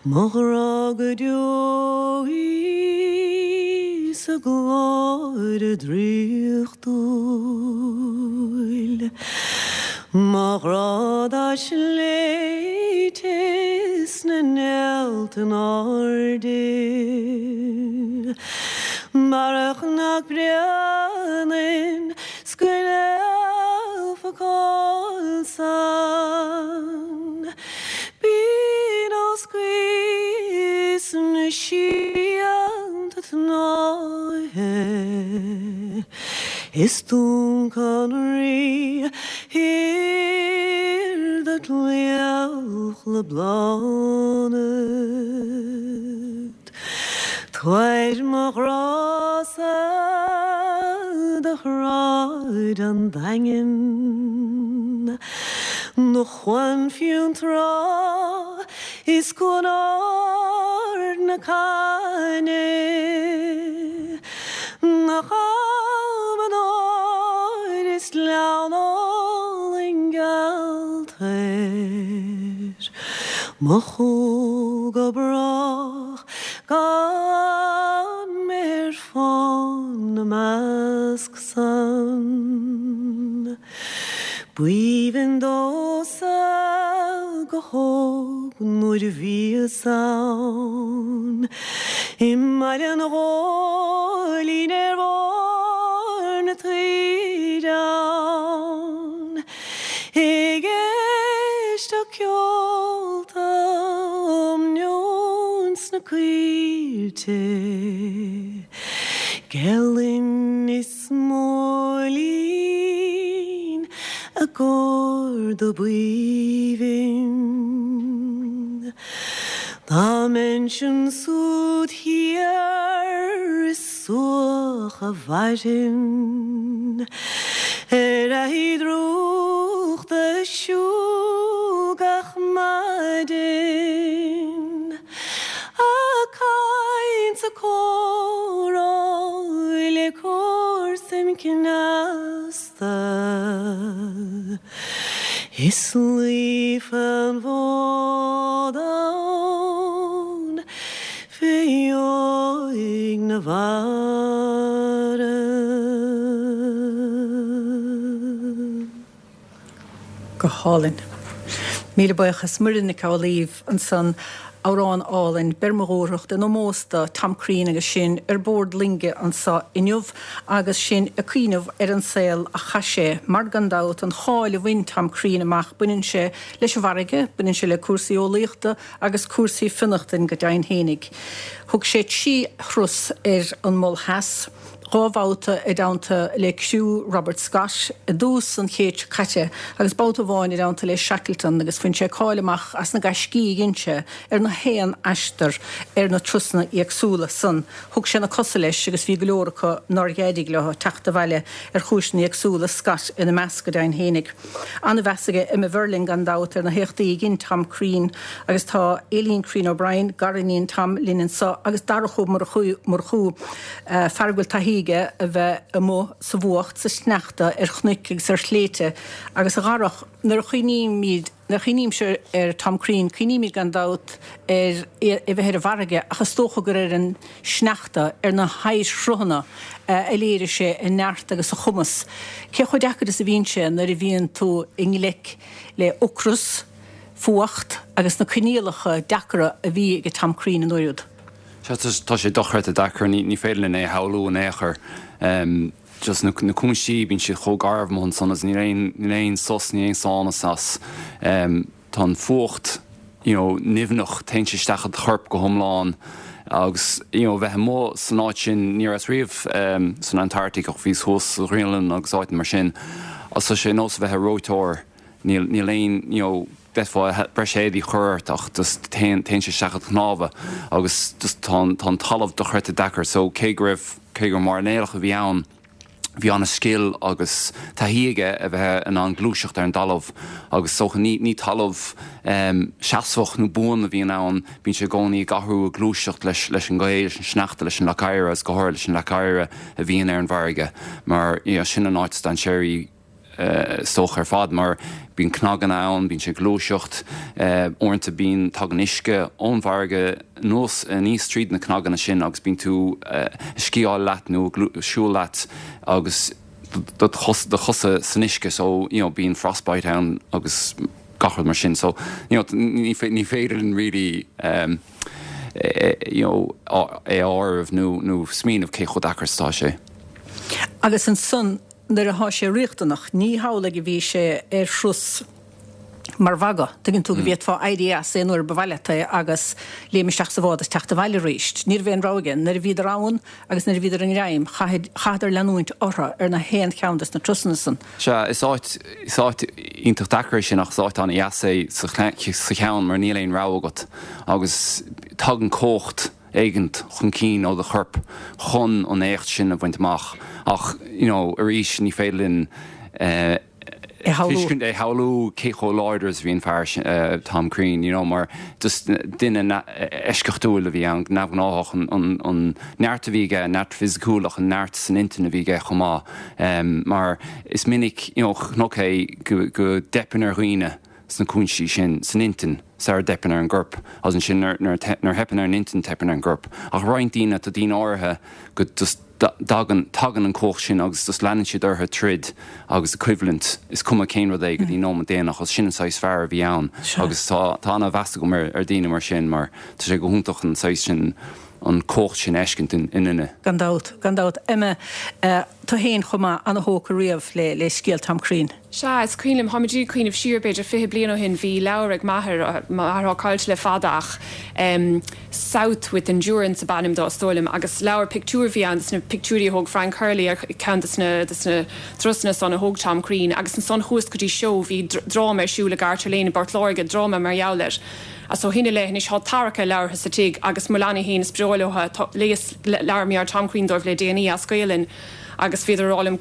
[SPEAKER 8] Mo ghrá go deo í sa ghlóire draíochtúil. Mo ghrá dá sléibhte is na néalta in airde. Marach nach mbreathnainn 's go léifeadh cáil san. Binn os gaoth is na síolta tnáithe Is Dún Conraoi thiar do chliabh le Bláthnaid. Tabhair mo ghrá-sa do shráid an Daingin, Do Chuan Fionntrá is Cuan Ard na Caithne, Do Chalmadóir is Gleann álainn geal toir, Mo chúl go brách gan mé ar fán 'na measc san. B'aoibhinn domhsa go hóg nuair a bhíos ann i mBaile an Ghóilín ar bharr na taoide ann ag éisteacht ceolta um neoin sna coillte Gael-Linn is Móilín a gcór do b'aoibhinn. Dá mbeinnse ansúd thiar is suach a mhairfinn Ar fhaichí drúchta ag siúl gach maidin. Ag caint 's ag comhrá le comharsain cneasta Is luí fán bhfód ann fé dheoidh na mhara.
[SPEAKER 1] Go hálainn. Míle buíochas. Muireann Nic Amhlaoibh ansan Amhrán álainn, Beir Mo Dhúthracht in ómós do Tom Crean agus sinn ar bord loinge anseo inniu agus sinn ag cuimhneamh ar an saol a chaith sé. Mar gan dabht, an cháil a bhain Tom Crean amach, baineann sé leis an bhfarraige, baineann sé le cúrsaí eolaíochta agus cúrsaí fionnachtain go deimhin fhéinig. Thug sé trí thuras ar an Mol Theas, dhá bhabhta i dteannta le criú Robert Scott i dtús an chéid seo caite agus babhta amháin i dteannta le Shackleton agus bhain sé cáil amach as na gaiscí a dhein sé ar na haon aistear ar na turasanna éagsúla san. Thug sé na cosa leis agus bhí go leor acu nár éirigh leo teacht abhaile ar chúiseanna éagsúla, Scott ina measc go deimhin fhéinig. An-mheas aige Emma Verling gan dabht ar na héachtaí a dhein Tom Crean agus tá Aileen Crean O'Brien, gariníon Tom, linn anseo agus Darach Ó Murchú, fear a bhfuil taithí aige a bheith amuigh sa bhfuacht, sa sneachta, ar chnoic agus ar shléibhte agus a Dharach, nuair a chuimhnímid, nuair a chuimhnímse ar Tom Crean, cuimhnímid gan dabht ar é a bheith ar an bhfarraige ach is dócha gur ar an sneachta, ar na hoighearshruthanna a léirigh sé a neart agus a chumas. Cé chomh deacair is a bhíonn sé nuair a bhíonn tú i ngleic le ocras, fuacht agus na coinníollacha deacra a bhí ag Tom Crean an uair úd?
[SPEAKER 9] Sea, tá sé dochreidte deacair, ní féidir linn é a shamhlú in aon chor. Just na cúinsí, bíonn siad chomh garbh amuigh ansan agus níl aon, níl aon sos, níl aon sánas as. Tá an fuacht, you know, nimhneach, téann sé isteach i do chorp go hiomlán agus, you know, bheith amuigh san áit sin, ní rabhas riamh san Antarctic ach bhíos thuas sa Ghraonlainn agus áiteanna mar sin agus tá sé ar nós a bheith ar reoiteoir. Níl, níl aon, you know, d'fhéadfá breis éadaí a chur ort ach just téann, téann sé isteach i do chnámha agus just tá an, tá an talamh dochreidte deacair so cé go raibh, cé gur mairnéalach a bhí ann, bhí an-scil agus taithí aige a bheith in ann gluaiseacht ar an dtalamh agus is dócha ní, ní talamh em seasmhach nó buan a bhíonn ann, bíonn sé i gcónaí ag athrú, ag gluaiseacht leis, leis an ngaoth, leis an sneachta, leis an leac oighir agus go háirithe leis an leac oighir a bhíonn ar an bhfarraige mar you know sin an áit is dainséaraí is dócha ar fad mar bíonn cnaganna ann, bíonn sé ag gluaiseacht, uaireanta bíonn, tagann uisce ón bhfarraige anuas, aníos tríd na cnaganna sin agus bíonn tú ag sciáil leat nó ag siúl leat agus do do chosa san uisce so you know bíonn frostbite ann agus gach rud mar sin so you know ní ní féidir linn really you know é a áireamh nó nó smaoineamh cé chomh deacair is atá sé.
[SPEAKER 1] Agus ansan nuair atá sé riachtanach, ní hamhlaidh a bhí sé ar thuras mar mhagadh, tuigeann tú, go bhféadfá éirí as aon uair ba mhaith leat é agus léim isteach sa bhád is teacht abhaile arís. Ní raibh aon rogha aige. Nuair a bhíodar ann agus nuair a bhíodar i ngreim, chaitheadar leanúint orthu ar na haon cheann des na turasanna san.
[SPEAKER 9] Sea, is áit, is áit iontach deacair é sin ach is áit an-dheas é sa cheann mar níl aon rogha agat agus tagann cumhacht éigint chun cinn ó do chorp chun an éacht sin a bhaint amach ach you know arís ní féidir linn eh tuiscint é shamhlú cé chomh láidir is a bhí an fear sin eh Tom Crean you know mar just duine eisceachtúil a bhí ann neamhghnáthach an an an neart a bhí aige an neart fisiciúil ach an neart san intinn a bhí aige chomh maith em mar is minic you know chonac é go go dteipeann ar dhaoine sna cúinsí sin san intinn sara dteipeann ar an gcorp agus ansin nuair nuair a theipeann ar an intinn teipeann ar an gcorp. Ach roinnt daoine, tá daoine áirithe go just dtagann, tagann an cumhacht sin agus just leanann siad orthu troid agus ag coimhlint, is cuma cén rud é go dtí an nóiméad déanach agus sin an saghas fear a bhí ann agus tá tá ana-mheas agam ar ar daoine mar sin mar tá sé go hiontach an saghas sin, an cumhacht sin a fheiscint i nduine.
[SPEAKER 1] Gan dabht, gan dabht. Emma, tú féin chomh maith, ana-thógtha riamh le le scéal Tom Crean.
[SPEAKER 7] Sea, is cuimhin liom, táimid ag cuimhneamh siar b'fhéidir fiche bliain ó shin, bhí leabhar ag m'athair, m'athair atá caillte le fada ach em South with Endurance ab ainm dó is dóigh liom agus leabhar pictiúr a bhí ann des na pictiúirí a thóg Frank Hurley ar cheann des na des na turasanna san a thóg Tom Crean agus ansan chuas go dtí seó, bhí dráma ar siúl i Garter Lane i bPort Láirge, dráma mar gheall air. Agus ó shin i leith anois tá tarrac ar leabhartha sa tigh agus mo leanaí féin is breá leo tá léas leabhar mar Tom Crean dóibh le déanaí as Gaelainn agus bhíodar ag rá liom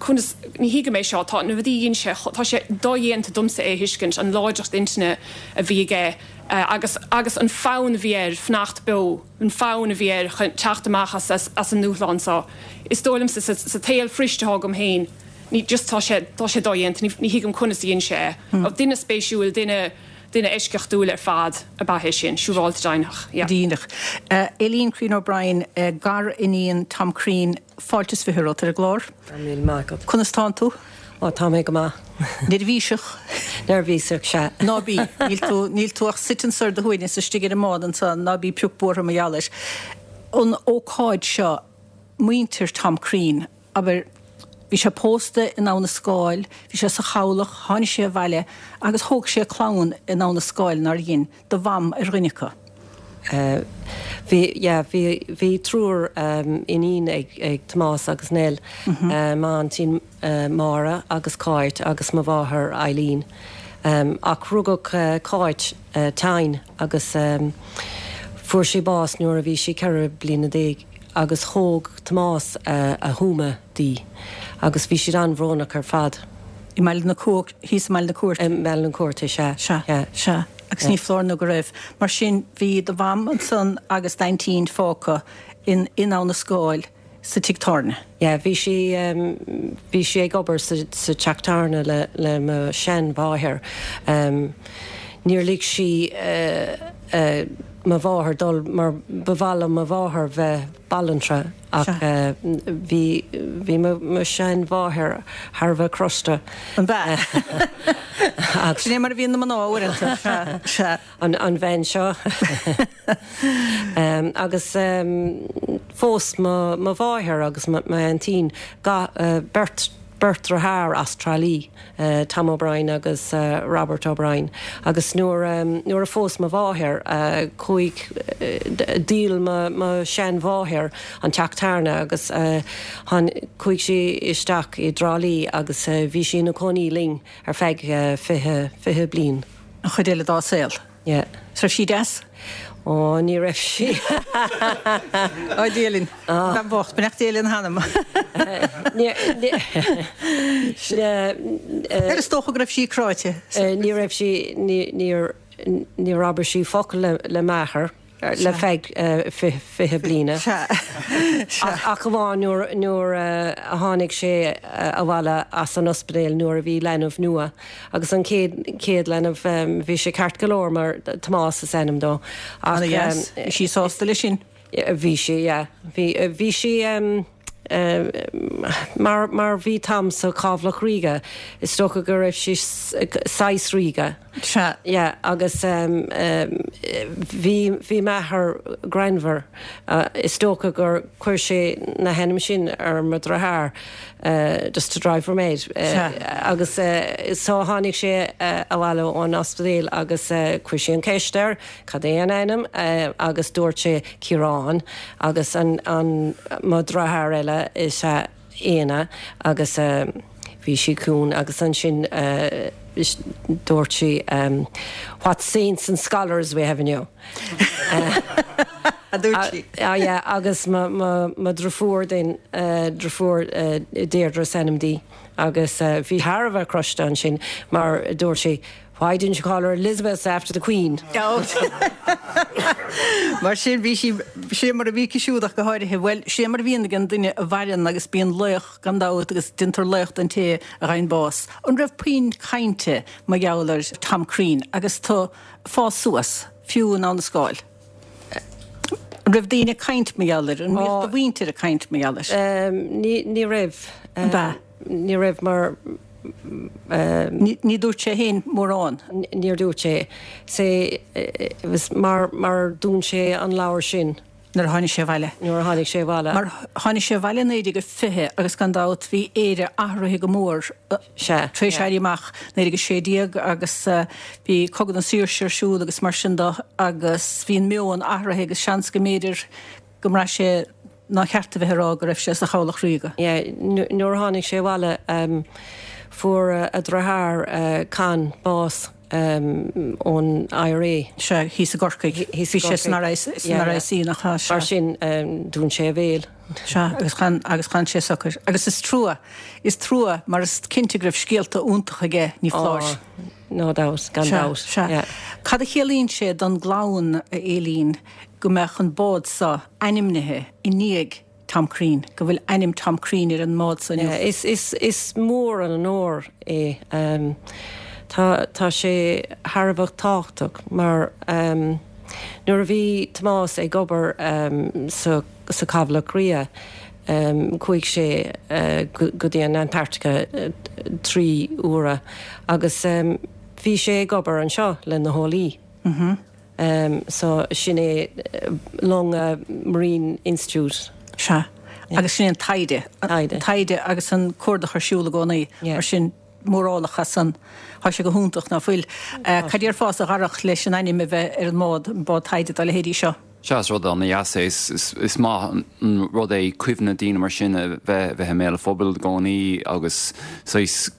[SPEAKER 7] conas ní thuigim é seo tá na rudaí a dhein sé tá sé dodhéanta domsa é a thuiscint an láidreacht intinne a bhí aige agus agus an fonn a bhí air fanacht beo an fonn a bhí air chun teacht amach as as as an ndúshlán seo is dóigh liomsa sa sa tsaol fuirist atá agam féin ní just tá sé tá sé dodhéanta ní ní thuigim conas a dhein sé é duine spéisiúil duine Duine eisceachtúil ar fad ab ea é sin, siúráilte deimhneach. Yeah.
[SPEAKER 1] Díreach. Aileen Crean O'Brien, gar-iníon Tom Crean, fáilte is fiche romhat ar an gclár.
[SPEAKER 5] Go raibh míle maith agat.
[SPEAKER 1] Conas tánn tú?
[SPEAKER 5] Ó, tá mé go maith.
[SPEAKER 1] Neirbhíseach?
[SPEAKER 5] Neirbhíseach, sea.
[SPEAKER 1] Ná bí. Níl tú, níl tú ach suite anso ar do shuaimhneas istigh ar an mbád anso, ná bí pioc buartha mar gheall air. An ócáid seo, muintir Tom Crean, abair, bhí sé pósta in Abha na Scáil, bhí sé sa chabhlach, tháinig sé abhaile agus thóg sé clann in Abha na Scáil, nár dhein, do mham ar dhuine acu.
[SPEAKER 5] Bhí, yeah, bhí, bhí triúr iníon ag, ag Tomás agus Nell, m'aintín Máire agus Cáit agus mo mháthair Eileen. Ach rugadh Cáit tinn agus fuair sí bás nuair a bhí sí ceithre bliana déag agus thóg Tomás a thuama di agus bhí siad an-bhrónach ar fad.
[SPEAKER 1] I mBaile na Cúirte, thíos i mBaile na Cúirte.
[SPEAKER 5] I mBaile na Cúirte, sea.
[SPEAKER 1] Sea, sea. Agus ní foláir nó go raibh. Mar sin, bhí do mham ansan agus d'aintín fágtha in in Abha na Scáil sa tigh tábhairne.
[SPEAKER 5] Yeah, bhí sí, bhí sí ag obair sa sa teach tábhairne le le mo sheanmháthair. Níor lig sí mo mháthair dul mar ba mhaith le mo mháthair bheith banaltra ach bhí bhí mo mo sheanmháthair thar a bheith crosta.
[SPEAKER 1] An b'ea? Sin é mar a bhíonn na mná uaireanta. Sea, sea.
[SPEAKER 5] An an bhean seo. Agus phós mo mo mháthair agus mo m'aintín ga beirt beirt deartháir as Trá Lí, Tom O'Brien agus Robert O'Brien. Agus nuair nuair a phós mo mháthair, chuaigh, dhíol mo mo sheanmháthair an teach tábhairne agus chuaigh sí isteach i dTrá Lí agus bhí sí ina cónaí linn ar feadh fiche fiche bliain.
[SPEAKER 1] An chuid eile dá saol.
[SPEAKER 5] Yeah.
[SPEAKER 1] Is raibh sí deas?
[SPEAKER 5] Ó, ní raibh sí.
[SPEAKER 1] Ó, Dia linn. Bean bhocht, beannacht Dé lena hanam. Ar is dócha go raibh sí cráite.
[SPEAKER 5] Ní raibh sí, níor, níor abair sí focal le m'athair le feadh fiche bliana. Ach amháin nuair, nuair a tháinig sé abhaile as an ospidéal nuair a bhí leanbh nua. Agus an chéad, chéad leanbh, bhí sé ceart go leor mar Tomás is ainm dó.
[SPEAKER 1] Ach bhí sí sásta leis sin?
[SPEAKER 5] Bhí sí, yeah. Bhí, bhí sí mar, mar bhí Tom sa Chabhlach Ríoga, is dócha go raibh sí saghas ríoga.
[SPEAKER 1] Sea.
[SPEAKER 5] Yeah, agus bhí, bhí m'athair greannmhar. Is dócha gur chuir sé na hainm sin ar mo dheartháir just to drive her mad.
[SPEAKER 1] Sea.
[SPEAKER 5] Agus so tháinig sé abhaile ón ospidéal agus chuir sí an ceist air cad é an ainm agus dúirt sé Ciarán agus an, an, mo dheartháir eile is ea Éanna agus bhí sí ciúin agus ansin dúirt sí What saints and scholars we have in you.
[SPEAKER 1] A dúirt sí.
[SPEAKER 5] Ah yeah, agus mo, mo, mo dheirfiúr den, deirfiúr Deirdre is ainm di agus bhí thar a bheith crosta ansin mar dúirt sí Why didn't you call her Elizabeth after the Queen?
[SPEAKER 1] Mar sin bhí sí, sé mar a bhí aici siúd ach go háirithe, bhuel, sé mar a bhíonn ag an duine a mhaireann agus bíonn laoch gan dabht agus déantar laoch den té a gheibheann bás. An raibh puinn cainte mar gheall ar Tom Crean agus tú ag fás suas, fiú in Abha na Scáil? An raibh daoine ag caint mar gheall air? An mbíodh do mhuintir ag caint mar gheall
[SPEAKER 5] air? Ní, ní raibh.
[SPEAKER 1] An b'ea?
[SPEAKER 5] Ní raibh mar.
[SPEAKER 1] Ní dúirt sé féin mórán.
[SPEAKER 5] Níor dúirt sé. Sé was mar mar dún sé an leabhar sin.
[SPEAKER 1] Nuair a tháinig sé abhaile.
[SPEAKER 5] Nuair a tháinig sé abhaile.
[SPEAKER 1] Mar tháinig sé abhaile naoi déag a fiche agus gan dabht bhí Éire athraithe go mór
[SPEAKER 5] Sea.
[SPEAKER 1] tar éis Éirí Amach naoi déag a sé déag agus bhí Cogadh na Saoirse ar siúl agus mar sin de agus bhí an meon athraithe agus seans go mb'fhéidir go mbraith sé nár cheart a bheith ag rá go raibh sé sa Chabhlach Ríoga.
[SPEAKER 5] Yeah, nuair a tháinig sé abhaile fuair a dheartháir Con bás ón IRA.
[SPEAKER 1] Sea, thíos i gCorcaigh. Bhí sé san RIC nach ea?
[SPEAKER 5] Mar sin dún sé a bhéal.
[SPEAKER 1] Sea, agus chan, agus chan sé socair. Agus is trua, is trua mar is cinnte go raibh scéalta iontacha aige, ní foláir.
[SPEAKER 5] Oh, no doubt, gan dabht.
[SPEAKER 1] Sea, sea. Cad a chiallaíonn sé don gclann, a Aileen, go mbeadh an bád seo ainmnithe i ndiaidh Tom Crean, go bhfuil ainm Tom Crean ar an mbád seo inniu?
[SPEAKER 5] Is, is, is mór an onóir é. Tá, tá sé thar a bheith tábhachtach mar nuair a bhí Tomás ag obair sa, sa Chabhlach Ríoga, Chuaigh sé go dtí an Antarctica trí huaire agus bhí sé ag obair anseo le na heolaí. So sin é long Marine Institute.
[SPEAKER 1] Sea. Agus sin é an taighde.
[SPEAKER 5] Taighde.
[SPEAKER 1] Taighde agus an cuardach ar siúl i gcónaí. Mar sin mórálacha san. Tá sé go hiontach ná fuil. Cad déarfása a Dharach leis an ainm a bheith ar an mbád, an bád taighde dá leithéidí seo?
[SPEAKER 9] Sea, is rud an-dheas é. Is maith an rud é cuimhne daoine mar sin a bheith bheith i mbéal an phobail i gcónaí agus saghas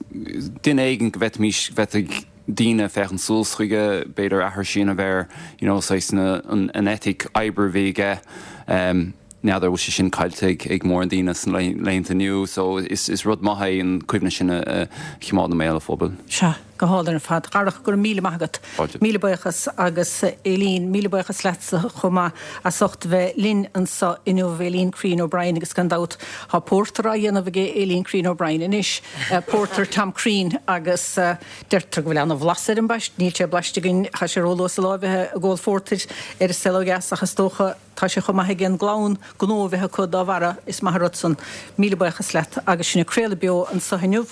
[SPEAKER 9] duine éigin go bhféadfaimis, bhféadfadh daoine féachaint suas chuige, b'fhéidir aithris a dhéanamh air, you know, saghas na, an, an eitic oibre a bhí aige. N'fheadar bhfuil sé sin caillte ag, ag mórán daoine sna laethanta inniu, so is, is rud maith é an cuimhne sin a, a choimeád i mbéal an phobail.
[SPEAKER 1] Sea, go hálainn ar fad. Darach, go raibh míle maith agat.
[SPEAKER 9] Fáilte.
[SPEAKER 1] Míle buíochas agus Aileen, míle buíochas leatsa chomh maith as ucht bheith linn anseo inniu, Aileen Crean O'Brien agus gan dabht tá pórtar á dhéanamh ag Aileen Crean O'Brien anois, pórtar Tom Crean agus deirtear go bhfuil an-bhlas ar an bpaiste, níl sé blaiste againn, tá sé róluath sa lá a bheith ag ól phórtair ar an saol ó dheas ach is dócha tá sé chomh maith ag an gclann gnó a bheith acu dá bharra, is maith an rud san. Míle buíochas leat agus sinn ag craoladh beo anseo inniu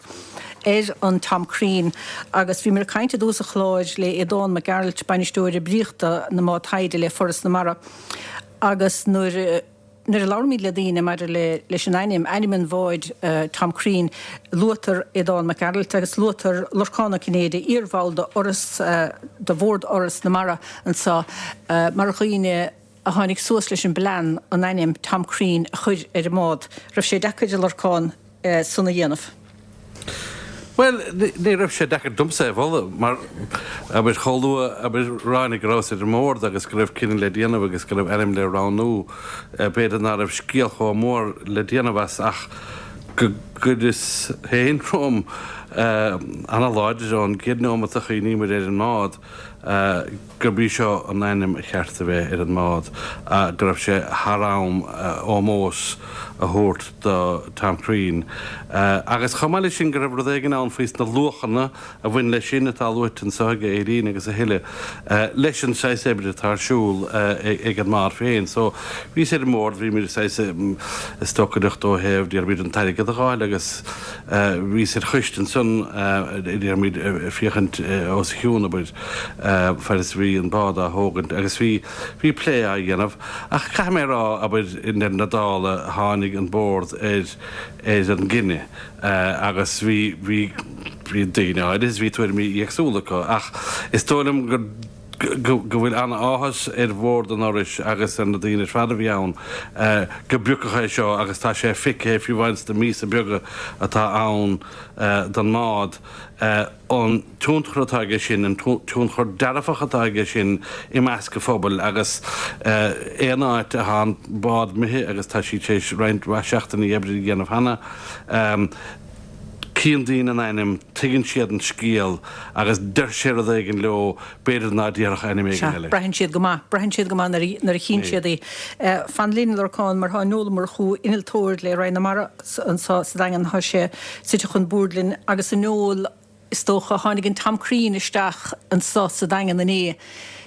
[SPEAKER 1] ar an Tom Crean agus bhíomar ag caint i dtús an chláir le Aodán Mac Gearailt, bainisteoir oibríochta na mbád taighde le Foras na Mara agus nuair nuair a labhraímid le daoine maidir le leis an ainm, ainm an bháid Tom Crean, luaitear Aodán Mac Gearailt agus luaitear Lorcán Ó Cinnéide, iarbhall de Fhoras, de Bhord Fhoras na Mara anseo mar dhaoine a tháinig suas leis an bplean an ainm Tom Crean a chur ar an mbád. Raibh sé deacair a Lorcán san a dhéanamh?
[SPEAKER 10] Bhuel, ní raibh sé deacair domsa é a mholadh mar, abair, chomh luath, abair, ráinig go rabhas ar an mbord agus go raibh cinneadh le déanamh agus go raibh ainm le roghnú, b'fhéidir ná raibh scéal chomh mór le déanamh as ach go gcuireas féin romham an-láidir ón gcéad neomat a chuimhníomar ar an mbád gurb í seo an ainm a cheart a bheith ar an mbád, go raibh sé thar am ómós a thabhairt do Tom Crean. Agus chomh maith leis sin go raibh rud éigin ann faoi sna luachanna a bhain leis sin atá luaite anseo ag Aileen agus a thuilleadh, leis an saghas oibre atá ar siúl ag an mbád féin. So bhíos ar an mbord, bhíomar saghas ag stocaireacht ó thaobh, déarfaimid, an t-airgead a dh'fháil agus bhíos ar choiste ansan, déarfaimid, féachaint os a chionn, abair, fad is a bhí an bád á thógaint agus bhí, bhí plé á dhéanamh. Ach caithfidh mé a rá, abair, i ndeireadh na dála, tháinig an bord ar, ar an gcinneadh agus bhí, bhí, bhí daoine áirithe is bhí tuairimí éagsúla acu ach is dóigh liom gur, go, go bhfuil an-áthas ar bhord an Fhorais agus ar na daoine ar fad a bhí ann go bpiocadh é seo agus tá sé feicthe fiú amháin sna míosa beaga atá ann don mbád. An tionchar atá aige sin, an tionchar dearfach atá aige sin i measc an phobail agus aon áit atá an bád imithe agus tá sí tar éis roinnt mhaith seachtainí oibre a dhéanamh cheana, cíonn daoine an ainm, tuigeann siad an scéal agus deir sé rud éigin leo b'fhéidir ná déarfadh ainm éigin
[SPEAKER 1] Sea,
[SPEAKER 10] eile.
[SPEAKER 1] braitheann siad go maith, braitheann siad go maith nuair a chíonn siad í. Fan linn, a Lorcáin, mar tá Noel Ó Murchú, innealtóir le Roinn na Mara anseo sa Daingean, tá sé suite chun boird linn agus a Noel, is dócha, tháinig an Tom Crean isteach anseo sa Daingean inné.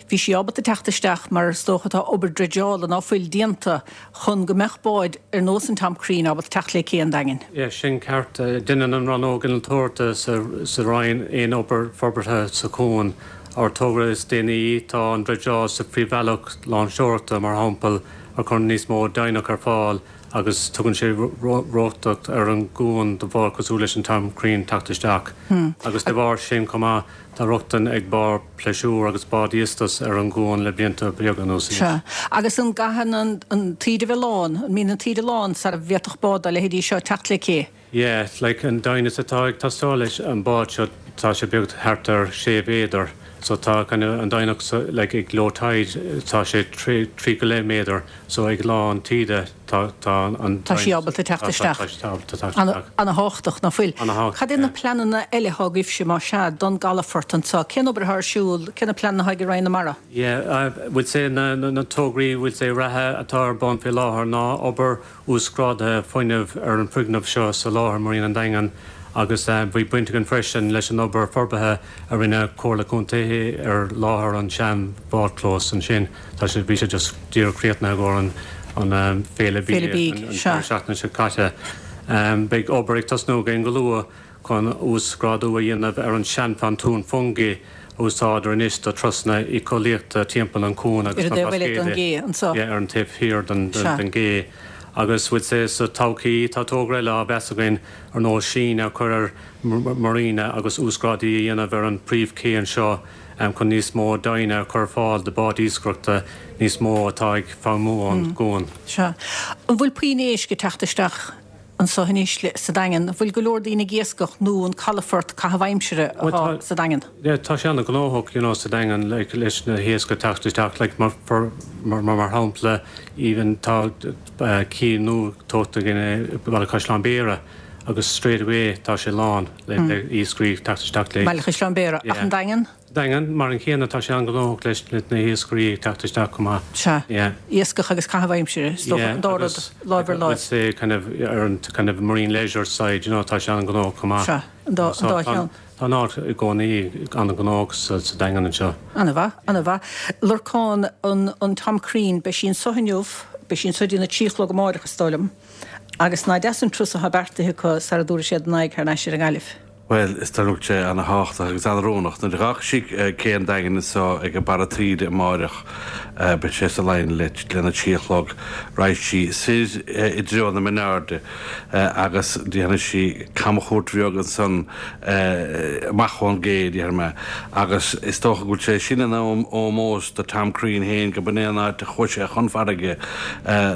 [SPEAKER 1] Bhí sí ábalta teacht isteach mar is dócha tá obair dreideála ná fuil déanta chun go mbeadh báid ar nós an Tom Crean ábalta teacht le cé an Daingin.
[SPEAKER 11] Yeah, sin ceart. Déanann an Rannóg Innealtóireachta sa Roinn aon obair forbartha sa chuan. Ár togra is déanaí tá an dreideáil sa phríomhbhealach loingseoireachta, mar shampla, a chuireann níos mó doimhneacht ar fáil agus tugann sé rochtain ar an gcuan do bháid cosúil leis an Tom Crean teacht isteach. Agus de bharr sin chomh maith, tá rochtain ag báid pléisiúir agus báid iostais ar an gcuan le blianta beaga anuas anois.
[SPEAKER 1] Sea. Agus an gcaitheann an taoide a bheith lán, an mbíonn an taoide lán sara bhféadfadh bád dá leithéidí seo teacht le cé?
[SPEAKER 11] Yeah, like an doimhneas atá ag teastáil leis an bád seo, tá sé beag thart ar sé mhéadar. So tá kind of an doimhneacht so like ag low tide tá sé trí trí go leith méadar so ag lán taoide tá tá an
[SPEAKER 1] Tá sí ábalta teacht
[SPEAKER 11] tá
[SPEAKER 1] isteach.
[SPEAKER 11] tá sí ábalta teacht
[SPEAKER 1] Ana
[SPEAKER 11] isteach.
[SPEAKER 1] ana-thábhachtach ná fuil.
[SPEAKER 11] Ana-thábhachtach,
[SPEAKER 1] Cad é na
[SPEAKER 11] yeah.
[SPEAKER 1] pleananna eile atá agaibhse más ea don gcalafort anseo? Cén obair atá ar siúl? Cé na pleananna atá ag Roinn na Mara?
[SPEAKER 11] Yeah, uh, we'll say na, na, na tograí we'll say reatha atá ar bun faoi láthair ná obair uasghrádaithe fuinnimh ar an bhfoirgneamh seo sa láthair Marina an Daingin agus bhí baint againn freisin leis an obair forbartha a rinne Comhairle Contae ar láthair an sean bhádchlós ansin. Tá sé bhí sé just díreach críochnaithe i gcomhair an an Féile Bídh an deireadh seachtaine seo caite. Beidh obair ag tosnú againn go luath chun uasghrádú a dhéanamh ar an seanphontún Fungie a úsáidtear anois do turasanna éiceolaíochta timpeall an chuain agus na Blascaodaí ar an taobh thiar den gcé. Agus would say sa todhchaí tá togra eile á mheas againn ar nós síneadh a chur ar marina agus uasghrádú a dhéanamh ar an príomhché anseo chun níos mó doimhne a chur ar fáil do báid iascaireachta níos mó atá ag feidhmiú ón gcuan.
[SPEAKER 1] Sea. An bhfuil puinn éisc ag teacht isteach anseo anois sa Daingean? An bhfuil go leor daoine ag iascach nó an calafort caitheamh aimsire atá sa Daingean?
[SPEAKER 11] Yeah, tá sé an-ghnóthach you know sa Daingean like leis na héisc ag teacht isteach like mar for mar mar shampla even tá cé nua tógtha againn i Baile Chaisleáin Bhéarra agus straight away tá sé lán le iascairí ag teacht isteach le.
[SPEAKER 1] Baile Chaisleáin Bhéarra, ach an Daingean?
[SPEAKER 11] Daingean, mar an chéanna, tá sé an-ghnóthach leis na hiascairí ag teacht isteach chomh maith.
[SPEAKER 1] Sea.
[SPEAKER 11] Yeah.
[SPEAKER 1] Iascach agus caitheamh aimsire, is dócha, an dá rud láimh ar láimh.
[SPEAKER 11] Yeah, agus say kind of ar an kind of marine leisure side, you know, tá sé an-ghnóthach chomh maith.
[SPEAKER 1] Sea, an dá, an dá cheann.
[SPEAKER 11] Tá an áit i gcónaí an-ghnóthach sa, sa Daingean anseo.
[SPEAKER 1] An-mhaith, an-mhaith. Lorcán, an, an Tom Crean, beidh sí anso inniu, beidh sí anso dtí na trí a chlog amáireach, is dóigh liom. Agus nach deas an turas atá beartaithe acu sara dtabharfaidh siad a n-aghaidh thar n-ais ar an nGaillimh.
[SPEAKER 10] Bhuel, is dóigh liom sé ana-thábhachtach agus ana-oiriúnach. Nuair a dh'fhágfaidh sí cé an Daingin anso ag an barra taoide amáireach, beidh sé sa line le lena trí a chlog, raghaidh sí soir i dtreo na Mionairde agus déanfaidh sí camchuairt bheag ansan amach ón gcé, déarfaidh mé. Agus is dócha go bhfuil sé sin ina ómós do Tom Crean féin, go b'in é an áit a chuaigh sé chun farraige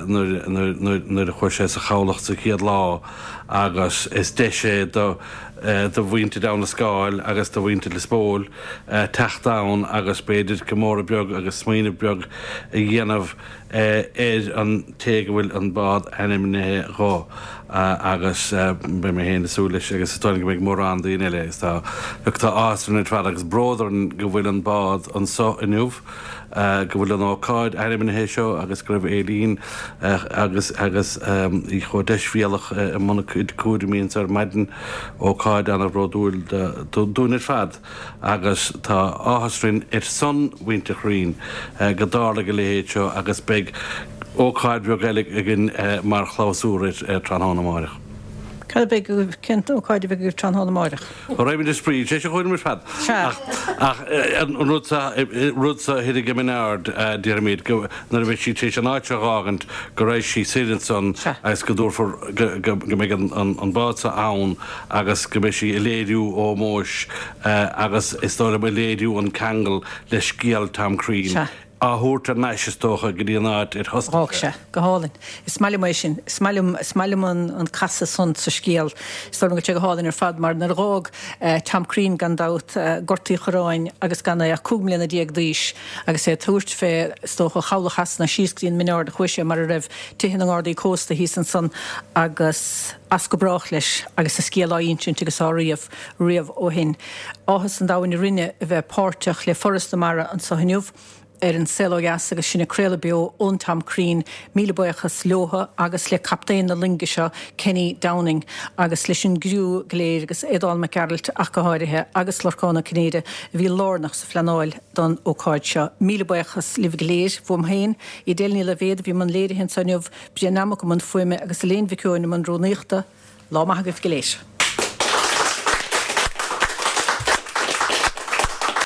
[SPEAKER 10] nuair a chuaigh sé sa chabhlach sa chéad lá agus is deis é do do mhuintir Abhainn an Scáil agus do mhuintir Lios Póil teacht ann agus b'fhéidir comóradh beag agus smaoineamh beag a dhéanamh ar an té go bhfuil an bád ainmnithe dho agus beidh mé féin ag súil leis agus is dóigh liom go mbeidh mórán daoine eile agus tá look tá áthas orainn ar fad agus bród orainn go bhfuil an bád anso inniu. go bhfuil an ócáid ainmnithe seo agus go raibh Aileen agus agus í chomh deisbhéalach i mbun a cuid cúraimí anso ar maidin, ócáid ana-bhródúil dúinn ar fad agus tá áthas orainn ar son mhuintir Chrean go dtarlaigh a leithéid seo agus beidh ócáid bheag eile againn mar chlabhsúr air tráthnóna amáireach.
[SPEAKER 1] Cad a bheidh agaibh, cén ócáid a bheidh agaibh tráthnóna amáireach?
[SPEAKER 10] Raghaimid ar spraoi, sé sin chugainn ar fad.
[SPEAKER 1] Sea.
[SPEAKER 10] Ach an rud sa, rud sa thoir ag Min Ard, déarfaimid, go, nuair a bheidh sí tar éis an áit seo a dh'fhágaint, go raghaidh sí soir ansan agus go dtabharfar, go, go, go mbeidh an, an, an bád sa ann agus go mbeidh sí ag léiriú ómóis agus is dóigh liom ag léiriú an ceangal le scéal Tom Crean.
[SPEAKER 1] Sea.
[SPEAKER 10] á thabhairt thar n-ais, is dócha, go dtí an áit ar thosnaigh
[SPEAKER 1] D'fhág sé. Go hálainn. Is maith liom é sin. Is maith liom, is maith liom an, an casadh san sa scéal. Is dóigh liom go bhfuil sé go hálainn ar fad mar nuair a dh'fhág Tom Crean gan dabht Gort Uí Churráin agus gan é ach cúig mbliana déag d'aois agus é ag tabhairt fé, is dócha, Chabhlach Shasana síos go dtí an Min Ard a chuaigh sé mar a raibh tithe na nGardaí Cósta thíos ansan agus as go brách leis agus a scéal á insint agus á ríomh riamh ó shin. Áthas an domhain orainne a bheith páirteach le Foras na Mara anso inniu. ar An Saol Ó Dheas agus sinn ag craoladh beo ón Tom Crean. Míle buíochas leotha agus le captaen na loinge seo, Kenny Downing, agus leis an gcriú go léir agus Aodán Mac Gearailt ach go háirithe agus Lorcán Ó Cinnéide a bhí lárnach sa phleanáil don ócáid seo. Míle buíochas libh go léir. Uaim féin, Edel Ní Loibhéad a bhí i mbun léirithe anseo inniu, Brian Nammock i mbun fuaime agus Elaine Mhic Eoin i mbun rúnaíochta. Lá maith agaibh go léir.